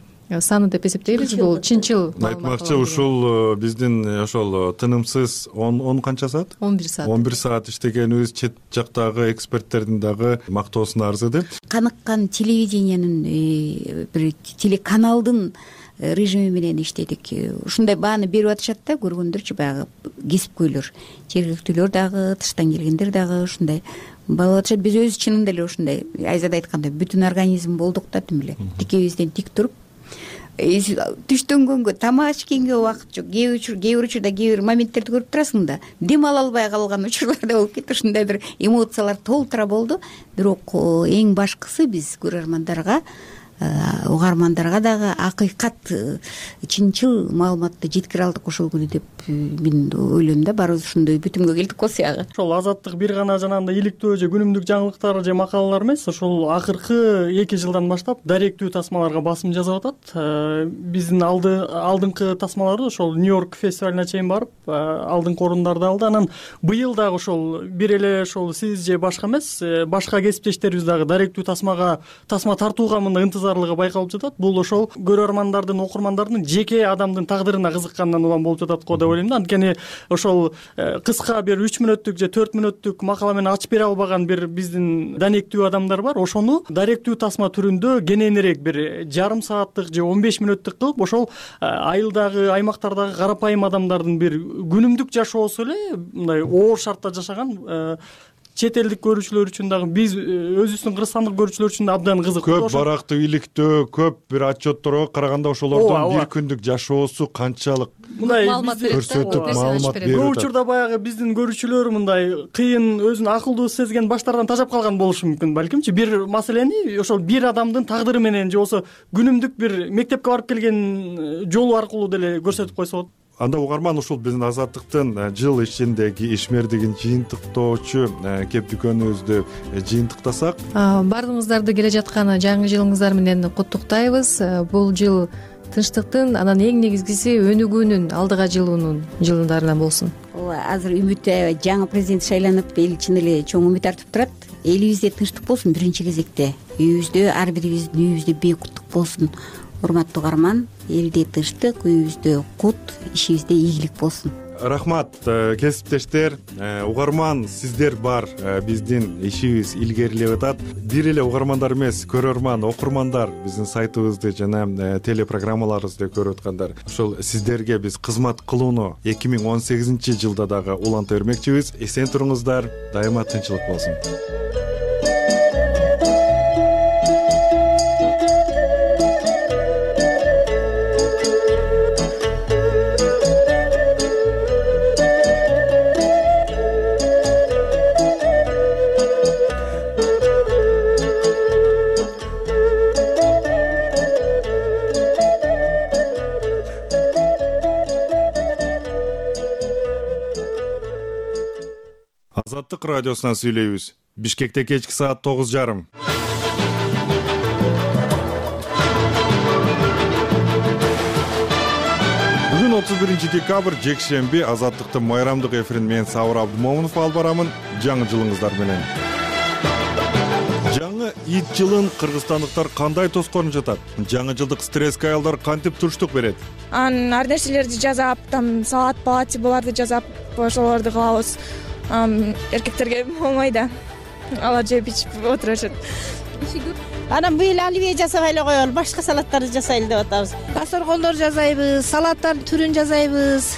саны деп эсептейбиз. Бул чынчыл маалымат. Айтмакчы, ушул биздин ошол тынымсыз он канча саат? он бир саат. он бир саат иштегенибиз чет жактагы эксперттердин дагы мактоосуна арзыды. Каныккан телевидениянын бир телеканалдын режими менен иштедик. Ушундай бааны берип атышат да, көргөндөрчү, баягы кесипкөйлөр, жергиликтүүлөр дагы, тыштан келгендер дагы ушундай болуп атышат. Биз өзү чынында эле ушундай Айзада айткандай бүтүн организм болдук да, тим эле тикебизден тик туруп, түштөнгөнгө, тамак ичкенге убакыт жок. Кээ бир учурда кээ бир моменттерди көрүп турасың да, дем ала албай калган учурлар да болуп кетти. Ушундай бир эмоциялар толтура болду. Бирок эң башкысы биз көрөрмандарга, угармандарга дагы акыйкат, чынчыл маалыматты жеткире алдык ошол күнү деп мен ойлойм да. Баарыбыз ушундай бүтүмгө келдик го сыягы. Ошол азаттык бир гана жанагындай иликтөө же күнүмдүк жаңылыктар же макалалар эмес, ошол акыркы эки жылдан баштап даректүү тасмаларга басым жасап атат. Биздин алды алдыңкы тасмаларды ошол Нью-Йорк фестивалына чейин барып, алдыңкы орундарды алды. Анан быйыл дагы ошол бир эле ошол сиз же башка эмес, башка кесиптештерибиз дагы даректүү тасмага, тасма тартууга мындай ынтызарлыгы байкалып жатат. Бул ошол көрөрмандардын, окурмандардын жеке адамдын тагдырына кызыккандан улам болуп жатат го деп ойлойм да. Анткени ошол кыска бир үч мүнөттүк же төрт мүнөттүк макала менен ачып бере албаган бир биздин данектүү адамдар бар. Ошону даректүү тасма түрүндө кененирээк бир жарым сааттык же он беш мүнөттүк кылып, ошол айылдагы, аймактардагы карапайым адамдардын бир күнүмдүк жашоосу эле мындай оор шартта жашаган чет элдик көрүүчүлөр үчүн дагы, биз өзүбүздүн кыргызстандык көрүүчүлөр үчүн да абдан кызыктуу. Көп барактуу иликтөө, көп бир отчетторго караганда ошолордун бир күндүк жашоосу канчалык маалымат көрсөтүп, маалымат берип көп учурда баягы биздин көрүүчүлөр мындай кыйын, өзүн акылдуу сезген баштардан тажап калган болушу мүмкүн балкимчи. Бир маселени ошол бир адамдын тагдыры менен же болбосо күнүмдүк бир мектепке барып келген жолу аркылуу деле көрсөтүп койсо болот. Анда угарман, ушул биздин азаттыктын жыл ичиндеги ишмердигин жыйынтыктоочу кеп дүкөнүбүздү жыйынтыктасак, баардыгыңыздарды келе жаткан жаңы жылыңыздар менен куттуктайбыз. Бул жыл тынчтыктын, анан эң негизгиси өнүгүүнүн, алдыга жылуунун жылдарынан болсун. Ооба, азыр үмүт аябай жаңы президент шайланып, эл чын эле чоң үмүт артып турат. Элибизде тынчтык болсун биринчи кезекте. Үйүбүздө, ар бирибиздин үйүбүздө бейкуттук болсун. Урматтуу угарман, элде тынчтык, үйүбүздө кут, ишибизде ийгилик болсун. рахмат кесиптештер, угарман сиздер бар биздин ишибиз илгерилеп атат. Бир эле угармандар эмес, көрөрман, окурмандар биздин сайтыбызды жана телепрограммаларыбызды көрүп аткандар. Ошол сиздерге биз кызмат кылууну эки миң он сегизинчи жылда дагы уланта бермекчибиз. Эсен туруңуздар, дайыма тынчылык болсун. Азаттык радиосунан сүйлөйбүз. Бишкекте кечки саат тогуз жарым. Бүгүн отуз биринчи декабрь, жекшемби, Азаттыктын майрамдык эфирин мен Сабыр Абдымомунов алып барамын. Жаңы жылыңыздар менен. Жаңы ит жылын кыргызстандыктар кандай тоскоонуп жатат? Жаңы жылдык стресске аялдар кантип туруштук берет? Анан ар нерселерди жасап, там салат, палати буларды жасап, ошолорду кылабыз. Эркектерге болмой да, алар жеп ичип отурушат. Анан быйыл оливье жасабай эле коелу, башка салаттарды жасайлы деп атабыз. Дасторкондор жасайбыз, салаттардын түрүн жасайбыз,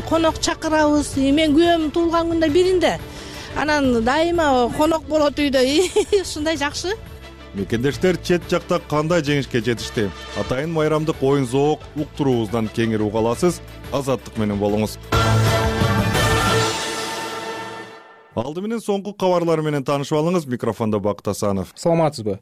конок чакырабыз. Мен күйөөм туулган күндө биринде. Анан дайыма конок болот үйдө. Ушундай жакшы. Мекендештер чет жакта кандай жеңишке жетишти? Атайын майрамдык оюн зоок уктуруубуздан кеңири уга аласыз. Азаттык менен болуңуз. Алды менен соңку кабарлар менен таанышып алыңыз. Микрофондо Бакыт Асанов. Саламатсызбы?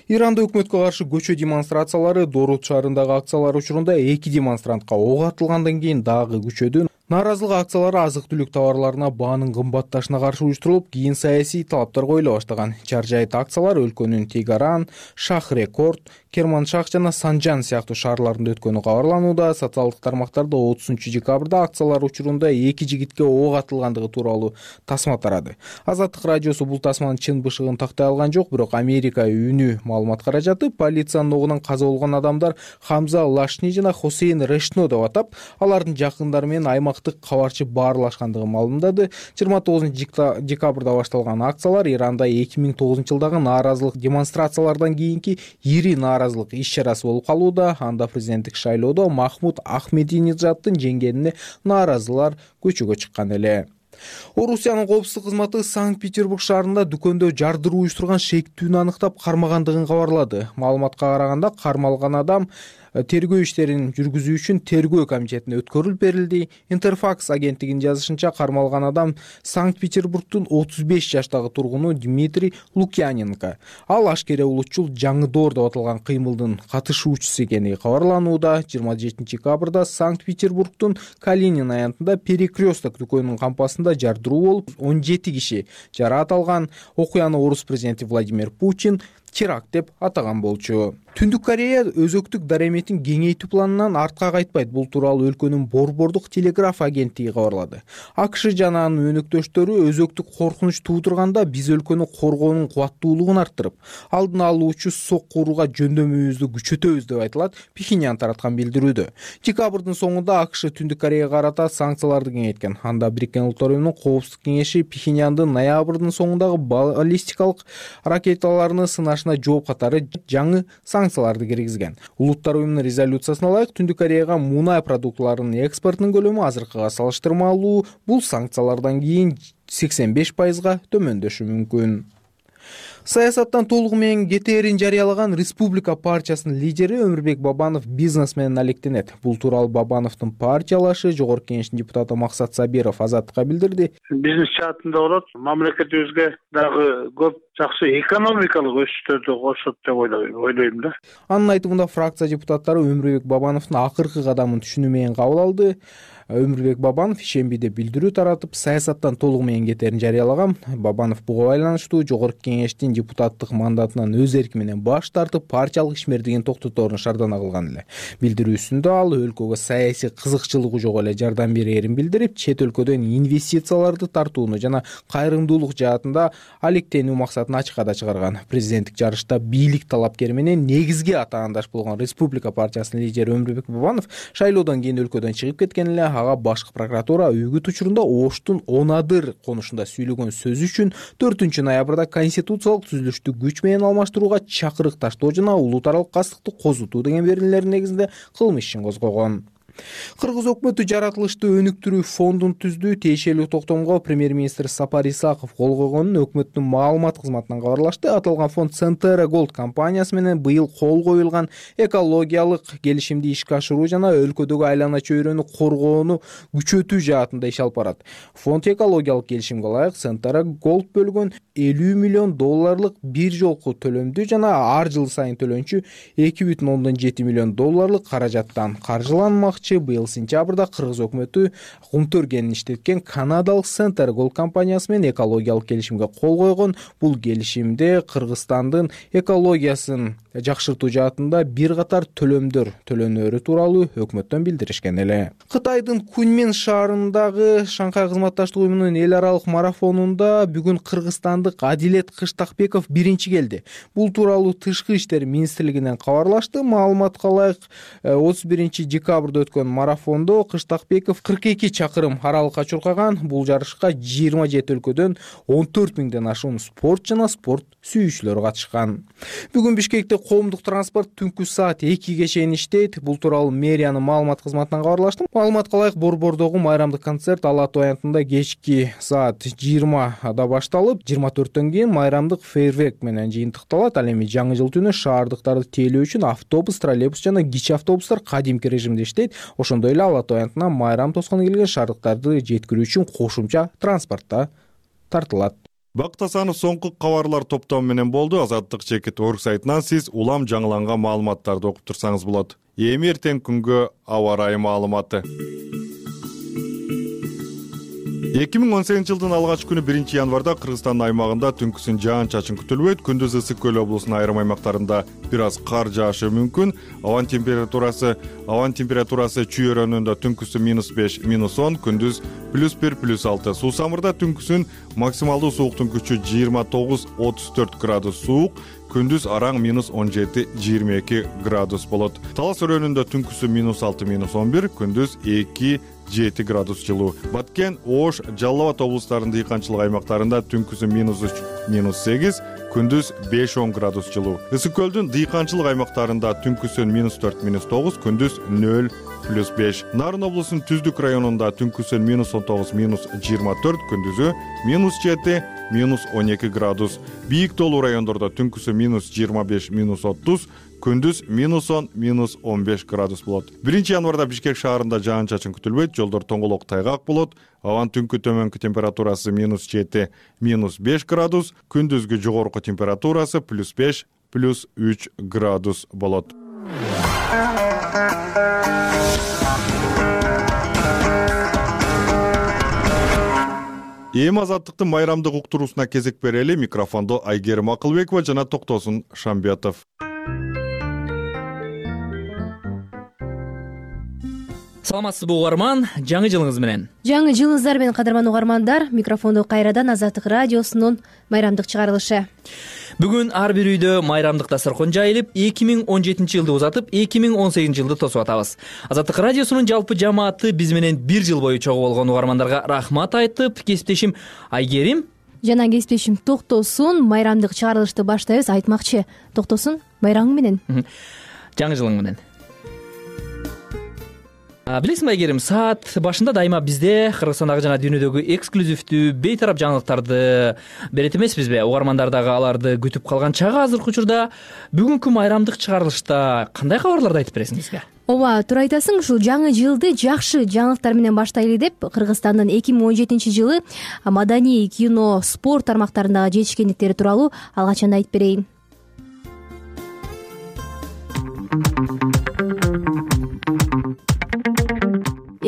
Иранда өкмөткө каршы көчө демонстрациялары Дорут шаарындагы акциялар учурунда эки демонстрантка ок атылгандан кийин дагы күчөдү. Нааразылык акциялары азык-түлүк товарларына баанын кымбатташына каршы уюштурулуп, кийин саясий талаптар коюла баштаган. Чаржайыт акциялар өлкөнүн Тегаран, Шах-Рекорд, Керманшах жана Санжан сыяктуу шаарларында өткөнү кабарланууда. Социалдык тармактарда отузунчу декабрда акциялар учурунда эки жигитке ок атылгандыгы тууралуу тасма тарады. Азаттык радиосу бул тасманын чын бышыгын тактай алган жок, бирок Америка үнү маалымат каражаты полициянын огунан каза болгон адамдар Хамза Лашни жана Хосейн Решно деп атап, алардын жакындары менен аймак кабарчы баарлашкандыгы маалымдады. жыйырма тогузунчу декабрда башталган акциялар Иранда эки миң тогузунчу жылдагы нааразылык демонстрациялардан кийинки ири нааразылык иш-чарасы болуп калууда. Анда президенттик шайлоодо Махмуд Ахмединежаддын жеңгенине нааразылар көчөгө чыккан эле. Орусиянын коопсуздук кызматы Санкт-Петербург шаарында дүкөндө жардыруу уюштурган шектүүнү аныктап кармагандыгын кабарлады. Маалыматка караганда кармалган адам тергөө иштерин жүргүзүү үчүн тергөө комитетине өткөрүлүп берилди. Интерфакс агенттигинин жазышынча, кармалган адам Санкт-Петербургдун отуз беш жаштагы тургуну Дмитрий Лукьяненко. Ал ашкере улутчул жаңы доор деп аталган кыймылдын катышуучусу экени кабарланууда. жыйырма жетинчи декабрда Санкт-Петербургдун Калинин аянтында Перекресток дүкөнүнүн кампасында жардыруу болуп, он жети киши жараат алган. Окуяны орус президенти Владимир Путин теракт деп атаган болчу. Түндүк Корея өзөктүк дареметин кеңейтүү планынан артка кайтпайт. Бул тууралуу өлкөнүн борбордук телеграф агенттиги кабарлады. АКШ жана анын өнөктөштөрү өзөктүк коркунуч туудурганда биз өлкөнү коргоонун кубаттуулугун арттырып, алдын алуучу сок курууга жөндөмүбүздү күчөтөбүз деп айтылат Пхеньян тараткан билдирүүдө. Декабрдын соңунда АКШ Түндүк Кореяга карата санкцияларды кеңейткен. Анда Бириккен Улуттар уюмунун коопсуздук кеңеши Пхеньяндын ноябрдын соңундагы баллистикалык ракеталарны сынашына жооп катары жаңы санкцияларды киргизген. Улуттар уюмунун резолюциясына ылайык Түндүк Кореяга мунай продуктларынын экспортунун көлөмү азыркыга салыштырмалуу бул санкциялардан кийин сексен беш пайызга төмөндөшү мүмкүн. Саясаттан толугу менен кетээрин жарыялаган Республика партиясынын лидери Өмүрбек Бабанов бизнес менен алектенет. Бул тууралуу Бабановдун партиялашы Жогорку Кеңештин депутаты Максат Сабиров Азаттыкка билдирди. Бизнес жаатында болот, мамлекетибизге дагы көп жакшы экономикалык өсүштөрдү кошот деп ойлойм да. Анын айтымында фракция депутаттары Өмүрбек Бабановдун акыркы кадамын түшүнүү менен кабыл алды. Өмүрбек Бабанов ишембиде билдирүү таратып, саясаттан толугу менен кетээрин жарыялаган. Бабанов буга байланыштуу Жогорку Кеңештин депутаттык мандатынан өз эрки менен баш тартып, партиялык ишмердигин токтоторун шаардана кылган эле. Билдирүүсүндө ал өлкөгө саясий кызыкчылыгы жок эле жардам берээрин билдирип, чет өлкөдөн инвестицияларды тартууну жана кайрымдуулук жаатында алектенүү максатын ачыкка чыгарган. Президенттик жарышта бийлик талапкери менен негизги атаандаш болгон Республика партиясынын лидери Өмүрбек Бабанов шайлоодон кийин өлкөдөн чыгып кеткен эле. Ага башкы прокуратура үгүт учурунда Оштун Онадыр конушунда сүйлөгөн сөзү үчүн төртүнчү ноябрда конституциялык түзүлүштү күч менен алмаштырууга чакырык таштоо жана улут аралык кастыкты козутуу деген беренелердин негизинде кылмыш ишин козгогон. Кыргыз өкмөтү жаратылышты өнүктүрүү фондун түздүү. Тиешелүү токтомго премьер-министр Сапар Исаков кол койгонун өкмөттүн маалымат кызматынан кабарлашты. Аталган фонд Центера Голд компаниясы менен быйыл кол коюлган экологиялык келишимди ишке ашыруу жана өлкөдөгү айлана чөйрөнү коргоону күчөтүү жаатында иш алып барат. Фонд экологиялык келишимге ылайык Центера Голд бөлгөн элүү миллион долларлык бир жолку төлөмдү жана ар жыл сайын төлөнчү эки бүтүн ондон жети миллион долларлык каражаттан каржыланмакчы. Быйыл сентябрда Кыргыз өкмөтү Кумтөргенин иштеткен канадалык Центер Голд компаниясы менен экологиялык келишимге кол койгон. Бул келишимде Кыргызстандын экологиясын жакшыртуу жаатында бир катар төлөмдөр төлөнөөрү тууралуу өкмөттөн билдиришкен эле. Кытайдын Куньмин шаарындагы Шанхай кызматташтык уюмунун эл аралык марафонунда бүгүн кыргызстандык Адилет Кыштакбеков биринчи келди. Бул тууралуу Тышкы иштер министрлигинен кабарлашты. Маалыматка ылайык отуз биринчи декабрда өткөн марафондо Кыштакбеков кырк эки чакырым аралыкка чуркаган. Бул жарышка жыйырма жети өлкөдөн он төрт миңден ашуун спорт жана спорт сүйүүчүлөр катышкан. Бүгүн Бишкекте коомдук транспорт түнкү саат экиге чейин иштейт. Бул тууралуу мэриянын маалымат кызматынан кабарлашты. Маалыматка ылайык Борбордогу майрамдык концерт Ала Тоо аянтында кечки саат жыйырмада башталып, жыйырма төрттөн кийин майрамдык фейерверк менен жыйынтыкталат. Ал эми жаңы жыл түнү шаардыктарды тейлөө үчүн автобус, троллейбус жана кичи автобустар кадимки режимде иштейт. Ошондой эле Ала Тоо аянтына майрам тоскону келген шаардыктарды жеткирүү үчүн кошумча транспортта тартылат. Бактасанов соңку кабарлар топтому менен болду. Азаттык чекит орг сайтынан сиз улам жаңыланган маалыматтарды окуп турсаңыз болот. Эми эртең күнгө аба ырайы маалыматы. эки миң он сегизинчи жылдын алгач күнү биринчи январда Кыргызстандын аймагында түнкүсүн жаан-чачын күтүлбөйт. Күндүз ысык көл облусунун айрым аймактарында бир аз кар жаашы мүмкүн. Абанын температурасы абанын температурасы чүй өрөөнүндө түнкүсүн минус беш минус он, күндүз плюс бир плюс алты. Суу самырда түнкүсүн максималдуу сууктун күчү жыйырма тогуз отуз төрт градус суук, күндүз араң минус он жети жыйырма эки градус болот. Талас өрөөнүндө түнкүсүн минус алты минус он бир, күндүз эки жети градус жылуу. Баткен, Ош, Жалал Абад облустарынын дыйканчылык аймактарында түнкүсүн минус үч минус сегиз, күндүз беш он градус жылуу. Ысык көлдүн дыйканчылык аймактарында түнкүсүн минус төрт минус тогуз, күндүз нөл плюс беш. Нарын облусунун Түздүк районунда түнкүсүн минус он тогуз минус жыйырма төрт, күндүзү минус жети минус он эки градус. Бийик тоолуу райондордо түнкүсүн минус жыйырма беш минус отуз, күндүз минус он минус он беш градус болот. биринчи январда Бишкек шаарында жаан-чачын күтүлбөйт. Жолдор тоңголок тайгак болот. Абанын түнкү төмөнкү температурасы минус жети минус беш градус, күндүзгү жогорку температурасы плюс беш плюс үч градус болот. Эми азаттыктын майрамдык уктуруусуна кезек берели. Микрофондо Айгерим Акылбекова жана Токтосун Шамбетов. Саламатсызбы угарман, жаңы жылыңыз менен. Жаңы жылыңыздар менен кадырман угармандар, микрофондо кайрадан Азаттык радиосунун майрамдык чыгарылышы. Бүгүн ар бир үйдө майрамдык дасторкон жайылып, эки миң он жетинчи жылды узатып, эки миң он сегизинчи жылды тосуп атабыз. Азаттык радиосунун жалпы жамааты биз менен бир жыл бою чогуу болгон угармандарга рахмат айтып, кесиптешим Айгерим жана кесиптешим Токтосун майрамдык чыгарылышты баштайбыз. Айтмакчы, Токтосун, байрамың менен. Жаңы жылың менен. Билесиңби Айгерим, саат башында дайыма бизде Кыргызстандагы жана дүйнөдөгү эксклюзивдүү бейтарап жаңылыктарды берет эмеспизби? Угармандар дагы аларды күтүп калган чагы азыркы учурда бүгүнкү майрамдык чыгарылышта кандай кабарларды айтып бересиңизби? Ооба, туура айтасың. Ушул жаңы жылды жакшы жаңылыктар менен баштайлы деп, Кыргызстандын эки миң он жетинчи жылы маданий, кино, спорт тармактарындагы жетишкендиктери тууралуу алгачан айтып берейин.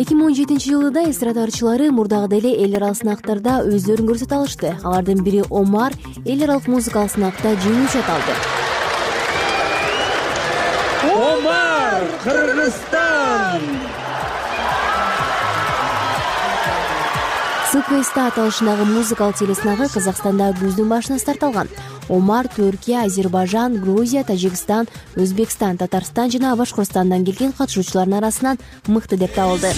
эки миң он жетинчи жылы да эстрада ырчылары мурдагыдай эле эл аралык сынактарда өздөрүн көрсөтө алышты. Алардын бири Омар эл аралык музыкалык сынакта жеңүүчү аталды. Омар, Кыргызстан! СКСта аталышындагы музыкалык телесынагы Казакстанда күздүн башында старт алган. Омар Түркия, Азербайжан, Грузия, Тажикстан, Өзбекстан, Татарстан жана Башкортстандан келген катышуучулардын арасынан мыкты деп табылды.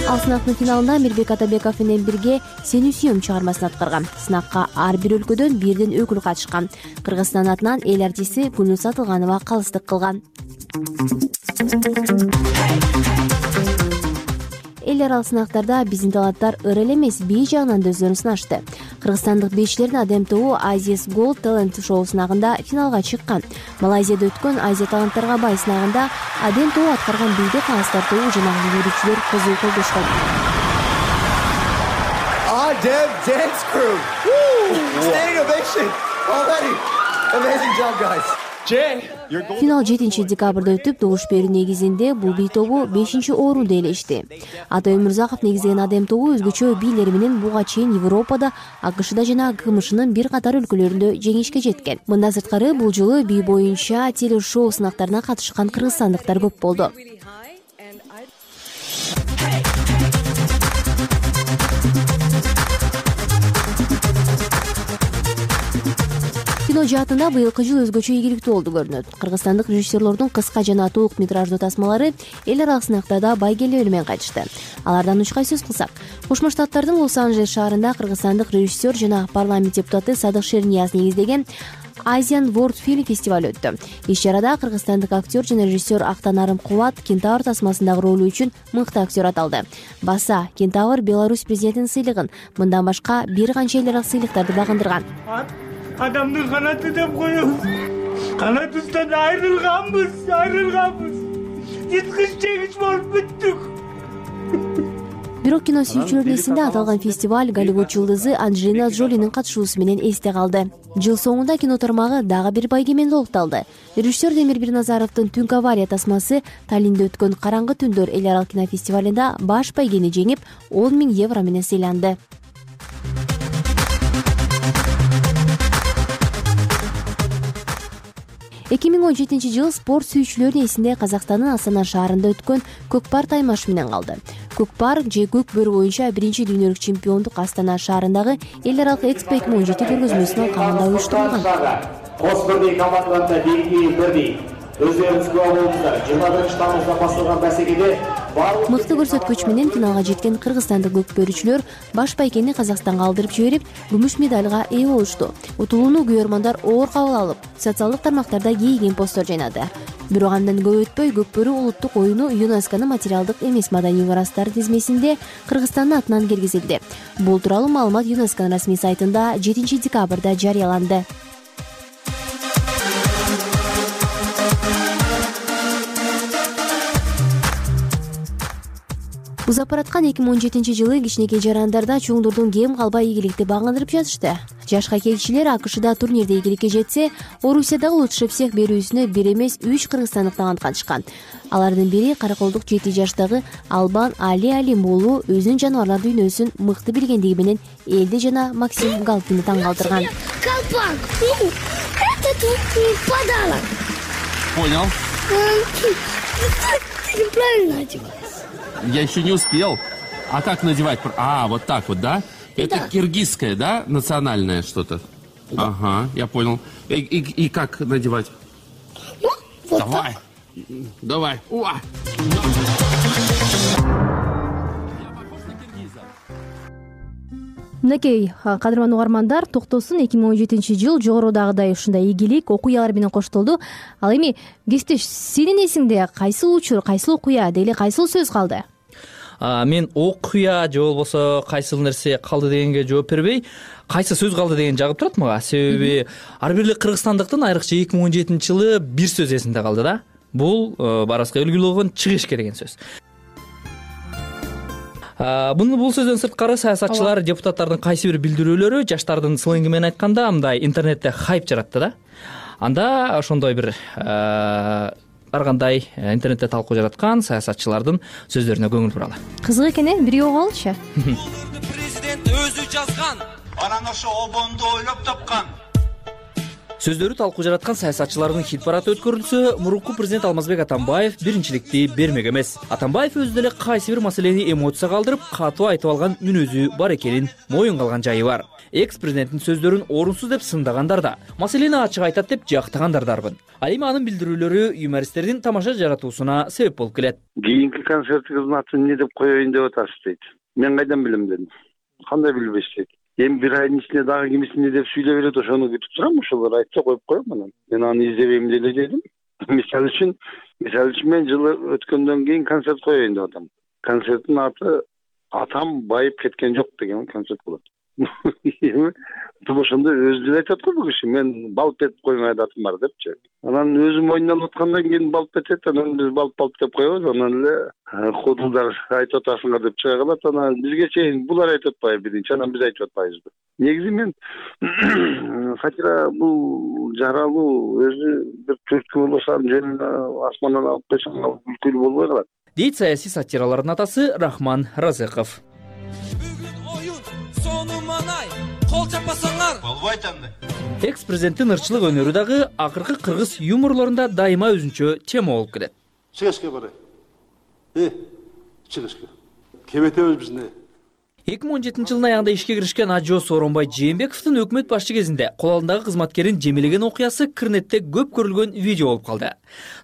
Ал сынактын финалында Мирбек Атабеков менен бирге «Сени сүйөм» чыгармасын аткарган. Сынакка ар бир өлкөдөн бирден өкүл катышкан. Кыргызстан атынан эл артисти Гүлнур Атылганова калыстык кылган. Эл аралык сынактарда биздин таланттар ыры эле эмес, бий жагынан да өздөрүн сынашты. Кыргызстандык бейчилердин Адем тобу Азиас Gold Talent шоу сынагында финалга чыккан. Малайзияда өткөн Азия таланттарга бай сынагында Адем тобу аткарган бийди Кыргызстан тобу жана жүрүүчүлөр козу колдошкон. Adem Dance Crew. Standing ovation already. Amazing job, guys. Финал жетинчи декабрда өтүп, добуш берүү негизинде бул бий тобу бешинчи орунду ээлешти. Атай Өмүрзаков негиздеген Адем тобу өзгөчө бийлери менен буга чейин Европада, АКШда жана КМШнын бир катар өлкөлөрүндө жеңишке жеткен. Мындан сырткары бул жылы бий боюнча телешоу сынактарына катышкан кыргызстандыктар көп болду. Кино жаатында быйылкы жыл өзгөчө ийгиликтүү болду көрүнөт. Кыргызстандык режиссерлордун кыска жана толук метраждуу тасмалары эл аралык сынактарда байгелебер менен кайтышты. Алардан үч кай сөз кылсак, Кошмо Штаттардын Лос-Анджелес шаарында кыргызстандык режиссер жана парламент депутаты Садык Шернияз негиздеген Asian World Film фестиваль өттү. Иш-чарада кыргызстандык актер жана режиссер Актанарым Кубат Кентавр тасмасындагы ролу үчүн мыкты актер аталды. Баса Кентавр Беларусь президентинин сыйлыгын, мындан башка бир канча эл аралык сыйлыктарды багындырган. Адамдын канаты деп коебуз. Канатыбыздан айрылганбыз, айрылганбыз. Жыткыч жегич болуп бүттүк. Бирок кино сүйүүчүлөрдүн эсинде аталган фестиваль Голливуд жылдызы Анджелина Джолинин катышуусу менен эсте калды. Жыл соңунда кино тармагы дагы бир байгеменде улукталды. Режиссер Демир Бирназаровдун Түнкү авария тасмасы Таллинде өткөн Караңгы түндөр эл аралык кинофестивалында баш байгени жеңип, он миң евро менен сыйланды. эки миң он жетинчи жыл спорт сүйүүчүлөрдүн эсинде Казакстандын Астана шаарында өткөн Көк пар таймаш менен калды. Көк пар же көк бөрү боюнча биринчи дүйнөлүк чемпиондук Астана шаарындагы эл аралык экспо эки миң он жети көргөзмөсүнүн алкагында уюштурулган. Кос бирдей командаларында биринчи бирдей өздөрүңүз күбө болдуңуздар. жыйырма биринчи тамызда башталган басекеде мыкты көрсөткүч менен финалга жеткен кыргызстандык көкбөрүчүлөр баш байгени Казакстанга алдырып жиберип, күмүш медалга ээ болушту. Утулууну күйөрмандар оор кабыл алып, социалдык тармактарда кейген посттор жайнады. Бирок андан көп өтпөй көкбөрү улуттук оюну ЮНЕСКОнун материалдык эмес маданий мурастар тизмесинде Кыргызстандын атынан киргизилди. Бул тууралуу маалымат ЮНЕСКонун расмий сайтында жетинчи декабрда жарыяланды. Узапараткан эки миң он жетинчи жылы кичинекей жарандарда чоңдордун кем калбай ийгиликти багындырып жатышты. Жаш хоккейчилер АКШда турнирде ийгиликке жетсе, Орусиядагы лучший всех берүүсүнө бир эмес үч кыргызстандык талант катышкан. Алардын бири караколдук жети жаштагы Албан Али Алимуулу өзүнүн жаныбарлар дүйнөсүн мыкты билгендиги менен элди жана Максим Галкинди таң калтырган. Колпак, это тут подарок. Понял. Правильно одеваешь. Я еще не успел. А как надевать? А, вот так вот, да? Это да. Киргизское, да? Национальное что-то? Да. Ага, я понял. И, и, и как надевать? Ну, вот Давай. Так. Давай. Уа. Мынакей, кадырман угармандар, токтосун эки миң он жетинчи жыл жогорудагыдай ушундай ийгилик окуялар менен коштолду. Ал эми Кестеш, сенин эсиңде кайсыл учур, кайсыл окуя, деги кайсыл сөз калды? Мен окуя же болбосо кайсыл нерсе калды дегенге жооп бербей, кайсы сөз калды деген жагып турат мага. Себеби ар бир кыргызстандыктын айрыкча эки миң он жетинчи жылы бир сөз эсинде калды да. Бул барыбызга үлгү болгон чыгышке деген сөз. Буну бул сөздөн сырткары саясатчылар, депутаттардын кайсы бир билдирүүлөрү жаштардын сленги менен айтканда мындай интернетте хайп жаратты да. Анда ошондой бир ар кандай интернетте талкуу жараткан саясатчылардын сөздөрүнө көңүл буралы. Кызык экен э, бирөө угалычы. Президент өзү жазган. Анан ошо обонду ойлоп тапкан. Сөздөрү талкуу жараткан саясатчылардын хит парады өткөрүлсө, мурунку президент Алмазбек Атамбаев биринчиликти бермек эмес. Атамбаев өзү деле кайсы бир маселени эмоция калтырып, катуу айтып алган мүнөзү бар экенин моюнга алган жайы бар. Экс-президенттин сөздөрүн орунсуз деп сындагандар да, маселени ачык айтат деп жактагандар дарбын. Ал эми анын билдирүүлөрү юмористтердин тамаша жаратуусуна себеп болуп келет. Кийинки концертиңиздин атын эмне деп коеюн деп атасыз дейт. Мен кайдан билем дедим. Кандай билбеш дейт. Эми бир айдын ичинде дагы кимиси эмне деп сүйлөп берет, ошону күтүп турам, ошолор айтса коюп коем анан. Мен аны издебейм деле дедим. Мисалы үчүн, мисалы үчүн мен жылы өткөндөн кийин концерт коеюн деп атам. Концерттин аты Атам байып кеткен жок деген концерт болот. Эми ошондо өзү деле айтат го бул киши, мен балп этип койгон адатым бар депчи. Анан өзү мойнуна аткандан кийин балп этет, анан биз балп балп деп коебуз, анан эле худулдар айтып атасыңар деп чыга калат, анан бизге чейин булар айтып атпайбы биринчи, анан биз айтып атпайбызбы. Негизи мен сатира бул жаралуу өзү бир түрткү болсо жөн асмандан алып койсоң күлкүлүү болбой калат. Дейт саясий сатиралардын атасы Рахман Разыков. Кол чаппасаңар болбойт анда. Экс-президенттин ырчылык өнөрү дагы акыркы кыргыз юморлорунда дайыма өзүнчө тема болуп келет. Чыгышка барай. Э, чыгышка. Кебетебиз бизне. эки миң он жетинчи жылдын аягында ишке киришкен Ажо Сооронбай Жээнбековдун өкмөт башчы кезинде кол алдындагы кызматкерин жемелеген окуясы Кырнетте көп көрүлгөн видео болуп калды.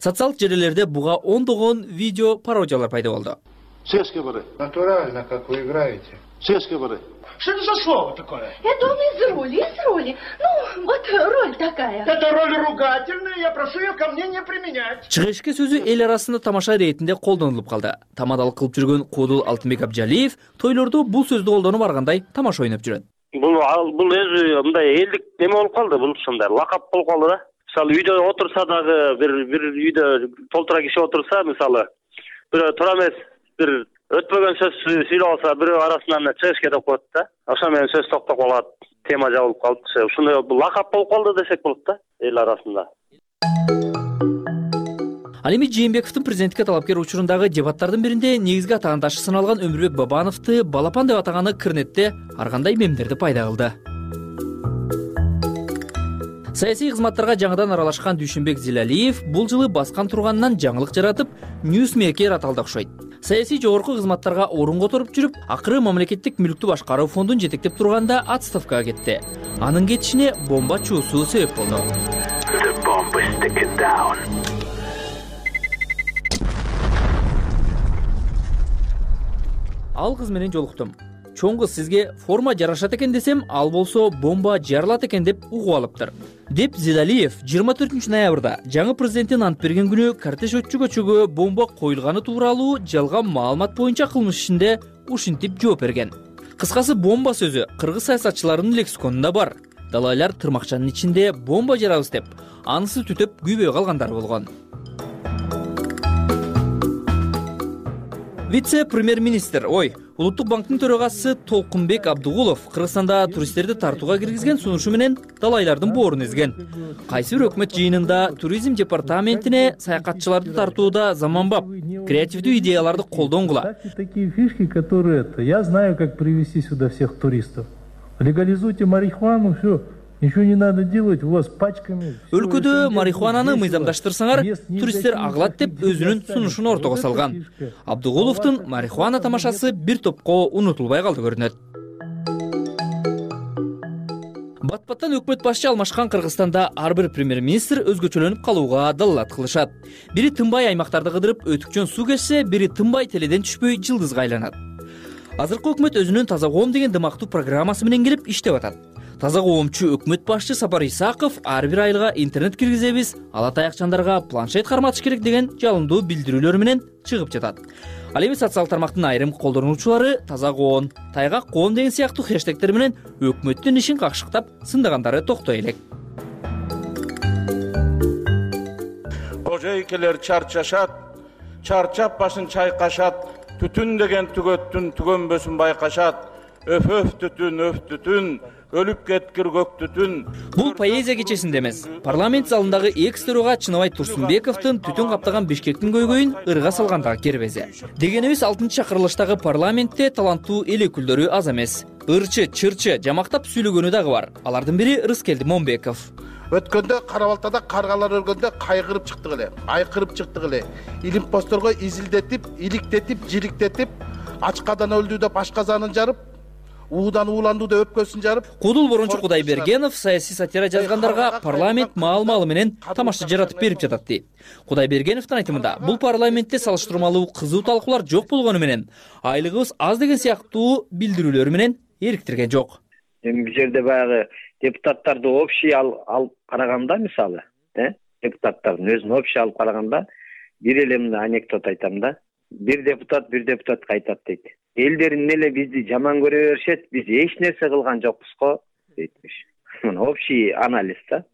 Социалдык желилерде буга ондогон видео пародиялар пайда болду. Чыгышка барай. Натурально, как вы играете. Чыгышка барай. Что это за слово такое? Это он из роли, из роли. Ну, вот роль такая. Это роль ругательная, я прошу ее ко мне не применять. Чыгышка сөзү эл арасында тамаша иретинде колдонулуп калды. Тамадалык кылып жүргөн Куудул Алтынбек Абжалиев тойлордо бул сөздү колдонуп баргандай тамаша ойноп жүрөт. Бул бул өзү мындай элдик неме болуп калды, бул ушундай лакап болуп калды да. Мисалы үйдө отурса дагы бир бир үйдө толтура киши отурса, мисалы бирөө туура эмес бир өтпөгөн сөз сүйлөп алса, бирөө арасынан чыгышка деп коет да. Ошо менен сөз токтоп калат, тема жабылып калды. Ушундай лакап болуп калды десек болот да эл арасында. Ал эми Жээнбековдун президенттикке талапкер учурундагы дебаттардын биринде негизги атаандашы саналган Өмүрбек Бабановду балапан деп атаганы Кырнетте ар кандай мемдерди пайда кылды. Саясий кызматтарга жаңыдан аралашкан Дүйшөнбек Зилалиев бул жылы баскан турганынан жаңылык жаратып, ньюсмейкер аталды окшойт. Саясий жогорку кызматтарга орун которуп жүрүп, акыры мамлекеттик мүлктү башкаруу фондун жетектеп турганда отставкага кетти. Анын кетишине бомба чуусу себеп болду. Ал кыз менен жолуктум. Чоң кыз сизге форма жарашат экен десем, ал болсо бомба жарылат экен деп угуп алыптыр. Деп Зилалиев жыйырма төртүнчү ноябрда жаңы президенттин ант берген күнү кортеж өтчү көчөгө бомба коюлганы тууралуу жалган маалымат боюнча кылмыш ишинде ушинтип жооп берген. Кыскасы бомба сөзү кыргыз саясатчыларынын лексиконунда бар. Далайлар тырмакчанын ичинде бомба жарабыз деп, анысы түтөп күйбөй калгандар болгон. Вице-премьер-министр, ой, Улуттук банктын төрагасы Толкунбек Абдыгулов Кыргызстанда туристтерди тартууга киргизген сунушу менен далайлардын боорун эзген. Кайсы бир өкмөт жыйынында туризм департаментине саякатчыларды тартууда заманбап, креативдүү идеяларды колдонгула. Такие фишки, которые это, я знаю, как привести сюда всех туристов. Легализуйте марихуану, все. Ничего не надо делать, у вас пачками. Өлкөдө марихуананы мыйзамдаштырсаңар, туристтер агылат деп өзүнүн сунушун ортого салган. Абдыгуловдун марихуана тамашасы бир топко унутулбай калды көрүнөт. Бат-баттан өкмөт башчы алмашкан Кыргызстанда ар бир премьер-министр өзгөчөлөнүп калууга далалат кылышат. Бири тынбай аймактарды кыдырып өтүкчөн суу кечсе, бири тынбай теледен түшпөй жылдызга айланат. Азыркы өкмөт өзүнүн таза коом деген дымактуу программасы менен келип иштеп атат. Таза коомчу өкмөт башчы Сапар Исаков ар бир айылга интернет киргизебиз, ала таякчандарга планшет карматыш керек деген жалындуу билдирүүлөр менен чыгып жатат. Ал эми социалдык тармактын айрым колдонуучулары таза коом, тайгак коом деген сыяктуу хэштегтер менен өкмөттүн ишин какшыктап сындагандары токтой элек. Кожойкелер чарчашат, чарчап башын чайкашат, түтүн деген түгөттүн түгөнбөсүн байкашат. Өф өф түтүн, өф түтүн, өлүп кеткир көк түтүн. Бул поэзия кечесинде эмес. Парламент залындагы экс-төрага Чыныбай Турсунбековдун түтүн каптаган Бишкектин көйгөйүн ырга салгандагы кербези. Дегенибиз алтынчы чакырылыштагы парламентте таланттуу эл өкүлдөрү аз эмес. Ырчы, чырчы, жамактап сүйлөгөнү дагы бар. Алардын бири Рыскелди Момбеков. Өткөндө Кара Балтада каргалар өлгөндө кайгырып чыктык эле, айкырып чыктык эле. Илимпосторго изилдетип, иликтетип, жириктетип, ачкадан өлдү деп ашказанын жарып, уудан ууланду деп өпкөсүн жарып. Кудул Борончу Кудайбергенов саясий сатира жазгандарга парламент маал-маалы менен тамаша жаратып берип жатат дейт. Кудайбергеновдун айтымында, бул парламентте салыштырмалуу кызуу талкуулар жок болгону менен, айлыгыбыз аз деген сыяктуу билдирүүлөр менен эриктирген жок. Эми бул жерде баягы депутаттарды общий алып караганда, мисалы, э, депутаттардын өзүн общий алып караганда, бир эле мына анекдот айтам да. Бир депутат бир депутатка айтат дейт. Элдерин эле бизди жаман көрө беришет, биз эч нерсе кылган жокпуз го дейтмиш. Мына общий анализ да.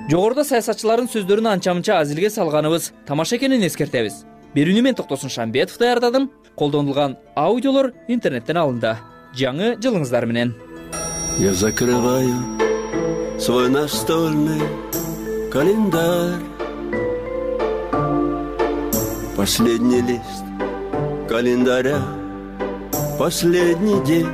Жогоруда саясатчылардын сөздөрүн анча-мынча азилге салганыбыз тамаша экенин эскертебиз. Берүүнү мен Токтосун Шамбетов даярдадым. Колдонулган аудиолор интернеттен алынды. Жаңы жылыңыздар менен. Я закрываю свой настольный календарь. Последний лист календаря, последний день.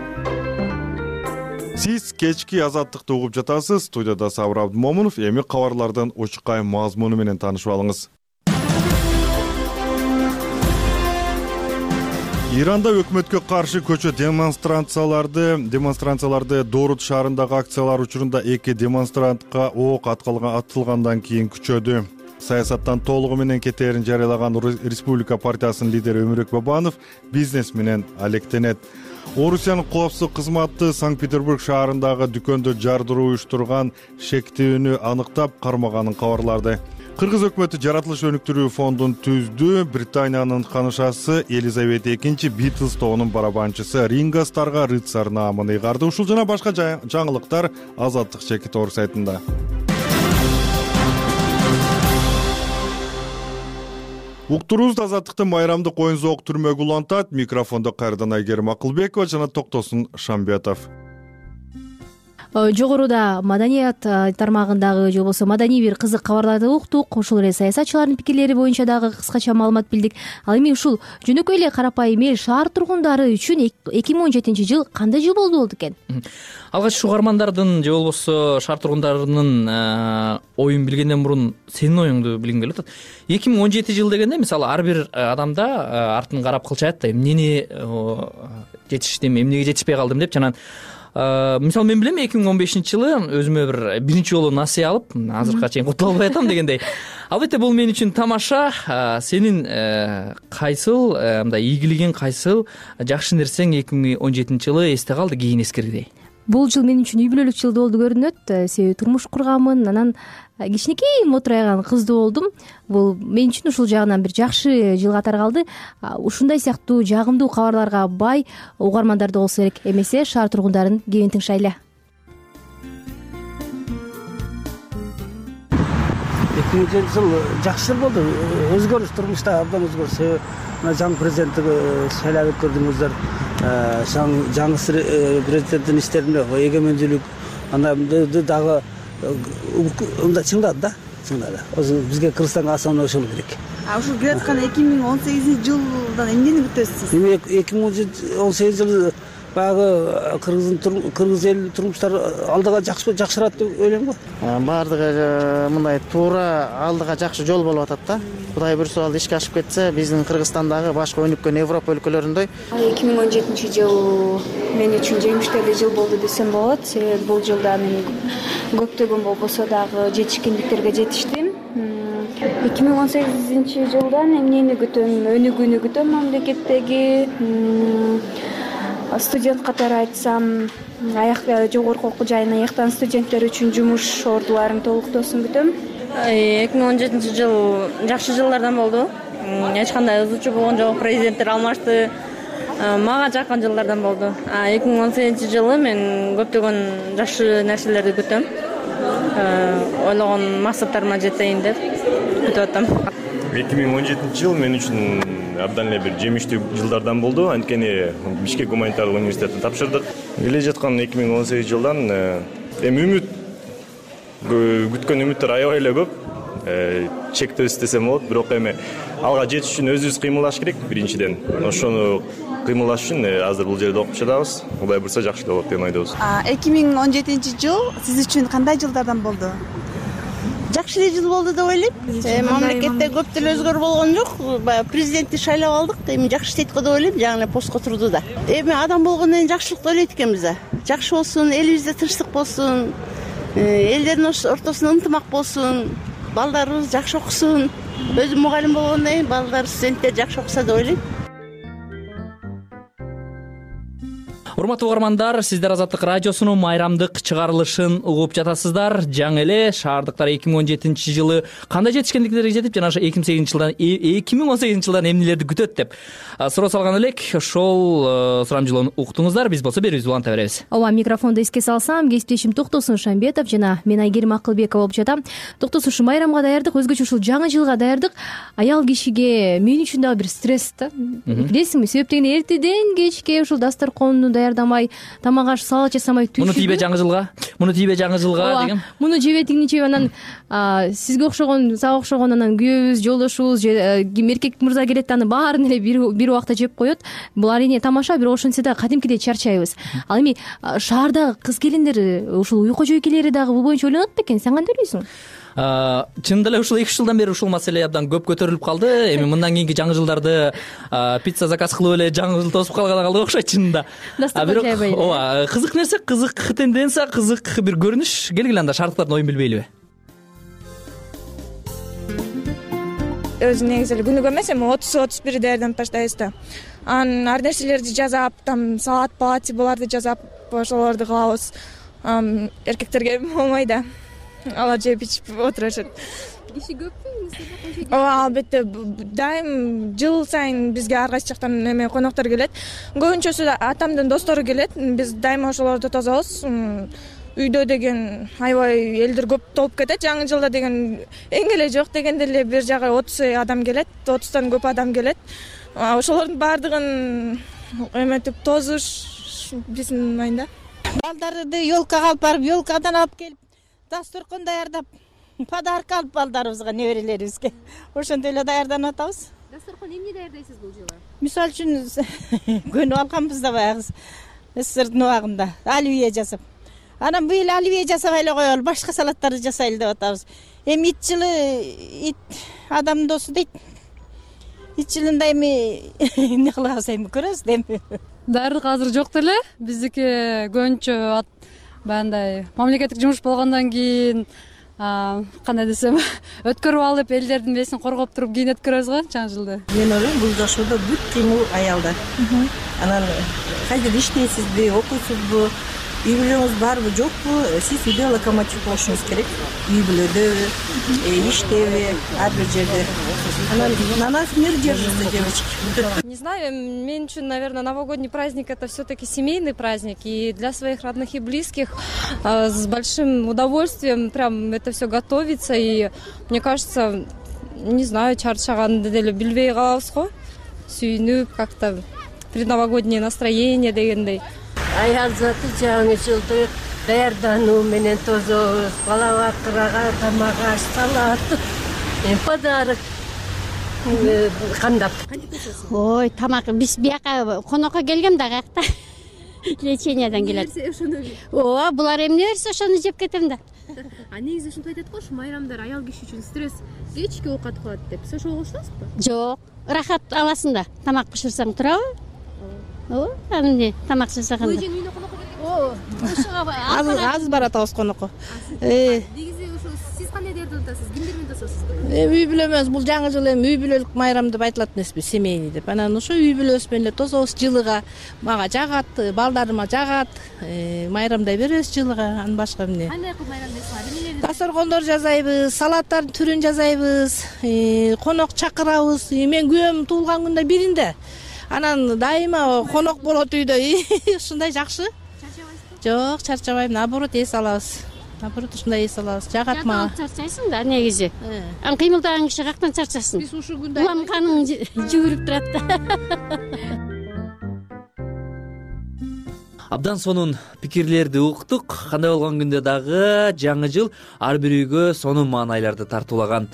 Сиз кечки Азаттыкты угуп жатасыз. Студияда Сабыр Абдымомунов. Эми кабарлардын очукай мазмуну менен таанышып алыңыз. Иранда өкмөткө каршы көчө демонстрацияларды демонстрацияларды Дорут шаарындагы акциялар учурунда эки демонстрантка ок атылгандан кийин күчөдү. Саясаттан толугу менен кетээрин жарыялаган Республика партиясынын лидери Өмүрөк Бабанов бизнес менен алектенет. Орусиянын коопсуздук кызматы Санкт-Петербург шаарындагы дүкөндө жардыруу уюштурган шектүүнү аныктап кармаганын кабарлады. Кыргыз өкмөтү жаратылыш өнүктүрүү фондун түздү. Британиянын ханышасы Елизавета экинчи Битлз тобунун барабанчысы Ринго Старрга рыцарь наамын ыйгарды. Ушул жана башка жаңылыктар Азаттык Чеки Тоор сайтында. Уктурубузда Азаттыктын майрамдык оюн зоок түрмөгү улантат. Микрофондо кайрадан Айгерим Акылбекова жана Токтосун Шамбетов. Жогоруда маданият тармагындагы же болбосо маданий бир кызык кабарларды уктук. Ошол эле саясатчылардын пикирлери боюнча дагы кыскача маалымат билдик. Ал эми ушул жөнөкөй эле карапайым эл шаар тургундары үчүн эки миң он жетинчи жыл кандай жыл болду болду экен? Алгач угармандардын же болбосо шаар тургундарынын оюн билгенден мурун сенин оюңду билгим келип атат. эки миң он жети жыл дегенде мисалы ар бир адамда артын карап кылчаат да, эмнени жетиштим, эмнеге жетишпей калдым деп. Жана мисалы мен билем эки миң он бешинчи жылы өзүмө бир биринчи жолу насыя алып, азыркыга чейин кутула албай атам дегендей. Албетте бул мен үчүн тамаша. Сенин кайсыл мындай ийгилигиң, кайсыл жакшы нерсең эки миң он жетинчи жылы эсте калды кийин эскергидей? Бул жыл мен үчүн үй бүлөлүк жыл болду көрүнөт. Себеби турмуш курганмын, анан кичинекей мотурайган кыздуу болдум. Бул мен үчүн ушул жагынан бир жакшы жыл катары калды. Ушундай сыяктуу жагымдуу кабарларга бай угармандарда болсо керек. Эмесе шаар тургундарын кебин тыңшайлы. эки миң он жетинчи жыл жакшы жыл болду. Өзгөрүш, турмушта абдан өзгөрүш. Себеби мына жаңы президенттикти шайлап өткөрдүңүздөр. Жаңы президенттин иштерине эгемендүүлүк андан дагы мындай чыңдады да, чыңдады. Бизге Кыргызстанга асаны ошол керек. А ушул келе аткан эки миң он сегизинчи жылдан эмнени күтөсүз? Эми эки миң он сегизинчи жыл баягы кыргыздын кыргыз эл турмуштары алдыга жакшырат деп ойлойм го. Баардыгы мындай туура алдыга жакшы жол болуп атат да. Кудай буйрса ал ишке ашып кетсе, биздин Кыргызстандагы башка өнүккөн Европа өлкөлөрүндөй. эки миң он жетинчи жыл мен үчүн жеңиштүү жыл болду десем болот. Себеби бул жылда мен көптөгөн болбосо дагы жетишкендиктерге жетиштим. эки миң он сегизинчи жылдан эмнени күтөм? Өнүгүүнү күтөм мамлекеттеги. Студент катары айтсам, аяк жогорку окуу жайын аяктаган студенттер үчүн жумуш ордуларын толуктоосун күтөм. эки миң он жетинчи жыл жакшы жылдардан болду. Эч кандай ызычуу болгон жок, президенттер алмашты. Мага жаккан жылдардан болду. А эки миң он сегизинчи жылы мен көптөгөн жакшы нерселерди күтөм. ойлогон максаттарыма жетейин деп күтүп атам. эки миң он жетинчи жыл мен үчүн абдан эле бир жемиштүү жылдардан болду. Анткени Бишкек гуманитардык университетин тапшырдык. Келе жаткан эки миң он сегизинчи жылдан эми үмүт күткөн үмүттөр аябай эле көп. Чектебиз десем болот, бирок эми алга жетиш үчүн өзүбүз кыймылдаш керек биринчиден. Ошону кыймылдаш үчүн азыр бул жерде окуп жатабыз. Кудай буйрса жакшы болот деп ойдобуз. эки миң он жетинчи жыл сиз үчүн кандай жылдардан болду? Жакшы эле жыл болду деп ойлойм. Мамлекетте көп деле өзгөрүү болгон жок. Баягы президентти шайлап алдык. Эми жакшы иштейт го деп ойлойм. Жаңы эле постко турду да. Эми адам болгондон кийин жакшылыкты ойлойт экенбиз да. Жакшы болсун, элибизде тынчтык болсун, элдердин ортосунда ынтымак болсун, балдарыбыз жакшы окусун. Өзүм мугалим болгондон кийин балдар, студенттер жакшы окуса деп ойлойм. Урматтуу угармандар, сиздер Азаттык радиосунун майрамдык чыгарылышын угуп жатасыздар. Жаңы эле шаардыктар эки миң он жетинчи жылы кандай жетишкендиктерге жетип, жана ошо эки миң сегизинчи жылдан эки миң он сегизинчи жылдан эмнелерди күтөт деп суроо салган элек. Ошол сурамжылоону уктуңуздар. Биз болсо берүүбүздү уланта беребиз. Ооба, микрофонду эске салсам, кесиптешим Токтосун Шамбетов жана мен Айгерим Акылбекова болуп жатам. Токтосун, ушу майрамга даярдык, өзгөчө ушул жаңы жылга даярдык аял кишиге мен үчүн дагы бир стресс да. Билесиңби, себеп дегенде эртеден кечке ушул дасторконду даярдамай, тамак аш салат жасамай түшүп. Муну тийбе жаңы жылга, муну тийбе жаңы жылга деген. Муну жебе тигини жебе, анан сизге окшогон, сага окшогон анан күйөөбүз, жолдошубуз, ким эркек мырза келет, аны баарын эле бир убакта жеп коет. Бул арине тамаша, бирок ошентсе да кадимкидей чарчайбыз. Ал эми шаардагы кыз келиндер, ушул уйку жойкелери дагы бул боюнча ойлонот бекен? Сен кандай ойлойсуң? Чындап эле ушул эки үч жылдан бери ушул маселе абдан көп көтөрүлүп калды. Эми мындан кийинки жаңы жылдарды пицца заказ кылып эле жаңы жыл тосуп калган калды окшойт чынында. Бирок ооба, кызык нерсе, кызык тенденция, кызык бир көрүнүш. Келгиле анда шаардыктардын оюн билбейлиби? Өзү негизи эле күнүгө эмес, эми отуз отуз бир даярданып баштайбыз да. Анан ар нерселерди жасап, там салат, палати буларды жасап, ошолорду кылабыз. Эркектерге болмой да. Алар жеп ичип отурушат. Киши көппү? Ооба, албетте. Дайым жыл сайын бизге ар кайсы жактан эме коноктор келет. Көбүнчөсү да атамдын достору келет. Биз дайыма ошолорду тособуз. Үйдө деген аябай элдер көп толуп кетет. Жаңы жылда деген эң эле жок дегенде эле бир жагы отуз адам келет. отуздан көп адам келет. Ошолордун баардыгын эметип тозуш биздин айында. Балдарды ёлкага алып барып, ёлкадан алып келип, дасторкон даярдап, подарок алып балдарыбызга, неберелерибизге. Ошентип эле даярданып атабыз. Дасторкон эмне даярдайсыз бул жылы? Мисалы үчүн көнүп алганбыз да баягы СССРдин убагында оливье жасап. Анан быйыл оливье жасабай эле коелу, башка салаттарды жасайлы деп атабыз. Эми ит жылы ит адам досу дейт. Ит жылында эми эмне кылабыз, эми көрөбүз да эми. Даярдык азыр жок деле. Биздики көбүнчө баягындай мамлекеттик жумуш болгондон кийин кандай десем, өткөрүп алып элдердин бесин коргоп туруп кийин өткөрөбүз го жаңы жылды. Мен ойлойм, бул жашоодо бүт кыймыл аялда. Анан кайда иштейсизби, окуйсузбу, үй бүлөңүз барбы, жокпу, сиз үйдө локомотив болушуңуз керек. Үй бүлөдөбү, иштеби, ар бир жерде. Анан на нас мир держится, девочки. Не знаю, мен үчүн, наверное, новогодний праздник — это все-таки семейный праздник, и для своих родных и близких с большим удовольствием прям это все готовится, и мне кажется, не знаю, чарчаганды деле билбей калабыз го, сүйүнүп, как-то предновогоднее настроение дегендей. Аял заты жаңы жылды даярдануу менен тозобуз. Бала бакырага тамак аш, салат, подарок кандап. Ой, тамак биз бияка конокко келгем да, каякта лечениядан келет. Ооба, булар эмне берсе ошону жеп кетем да. А негизи ушинтип айтат го, ушу майрамдар аял киши үчүн стресс, кечки оокат кылат деп. Сиз ошого кошуласызбы? Жок, рахат аласың да. Тамак бышырсаң турабы? Ооба, аны эмне тамак жасаганда. Көйжең үйүнө конокко келген. Азыр азыр баратабыз конокко. Негизи ушу сиз кандай даярданып атасыз? Кимдер менен тососуз? Эми үй бүлө эмес, бул жаңы жыл эми үй бүлөлүк майрам деп айтылат эмеспи, семейный деп. Анан ошо үй бүлөбүз менен эле тособуз жылыга. Мага жагат, балдарыма жагат. Майрамдай беребиз жылыга, анан башка эмне? Кандай кылып майрамдайсыздар? Дасторкондор жасайбыз, салаттардын түрүн жасайбыз, конок чакырабыз. Мен күйөөм туулган күндө биринде. Анан дайыма конок болот үйдө. Ушундай жакшы. Чарчабайсызбы? Жок, чарчабайм, наоборот, эс алабыз. наоборот ушундай эс алабыз жагат мага. Чарчайсың да негизи. Ан кыймылдаган киши каяктан чарчасын? Биз ушул күндө улам каның жүгүрүп турат да. Абдан сонун пикирлерди уктук. Кандай болгон күндө дагы жаңы жыл ар бир үйгө сонун маанайларды тартуулаган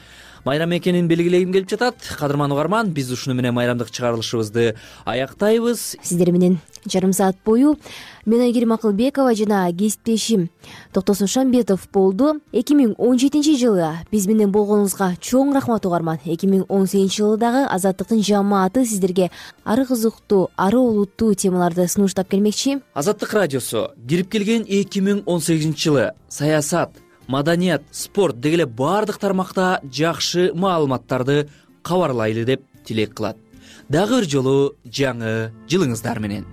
майрам экенин белгилегим келип жатат. Кадырман угарман, биз ушуну менен майрамдык чыгарылышыбызды аяктайбыз. Сиздер менен жарым саат бою мен Айгерим Акылбекова жана кесиптешим Токтосун Шамбетов болду. эки миң он жетинчи жылы биз менен болгонуңузга чоң рахмат угарман. эки миң он сегизинчи жылы дагы Азаттыктын жамааты сиздерге ары кызыктуу, ары олуттуу темаларды сунуштап келмекчи. Азаттык радиосу кирип келген эки миң он сегизинчи жылы саясат, маданият, спорт дегеле бардык тармакта жакшы маалыматтарды кабарлайлы деп тилек кылат. Дагы бир жолу жаңы жылыңыздар менен.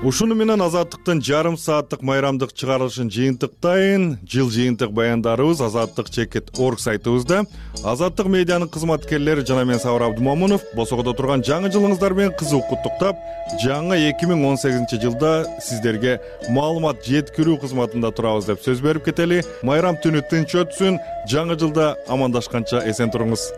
Ушуну менен Азаттыктын жарым сааттык майрамдык чыгарылышын жыйынтыктайын. Жыл жыйынтык баяндарыбыз азаттык чекит точка орг сайтыбызда. Азаттык медианын кызматкерлери жана мен Сабыр Абдумомунов босогодо турган жаңы жылыңыздар менен кызуу куттуктап, жаңы эки миң он сегизинчи жылда сиздерге маалымат жеткирүү кызматында турабыз деп сөз берип кетели. Майрам түнү тынч өтсүн. Жаңы жылда амандашканча эсен туруңуз.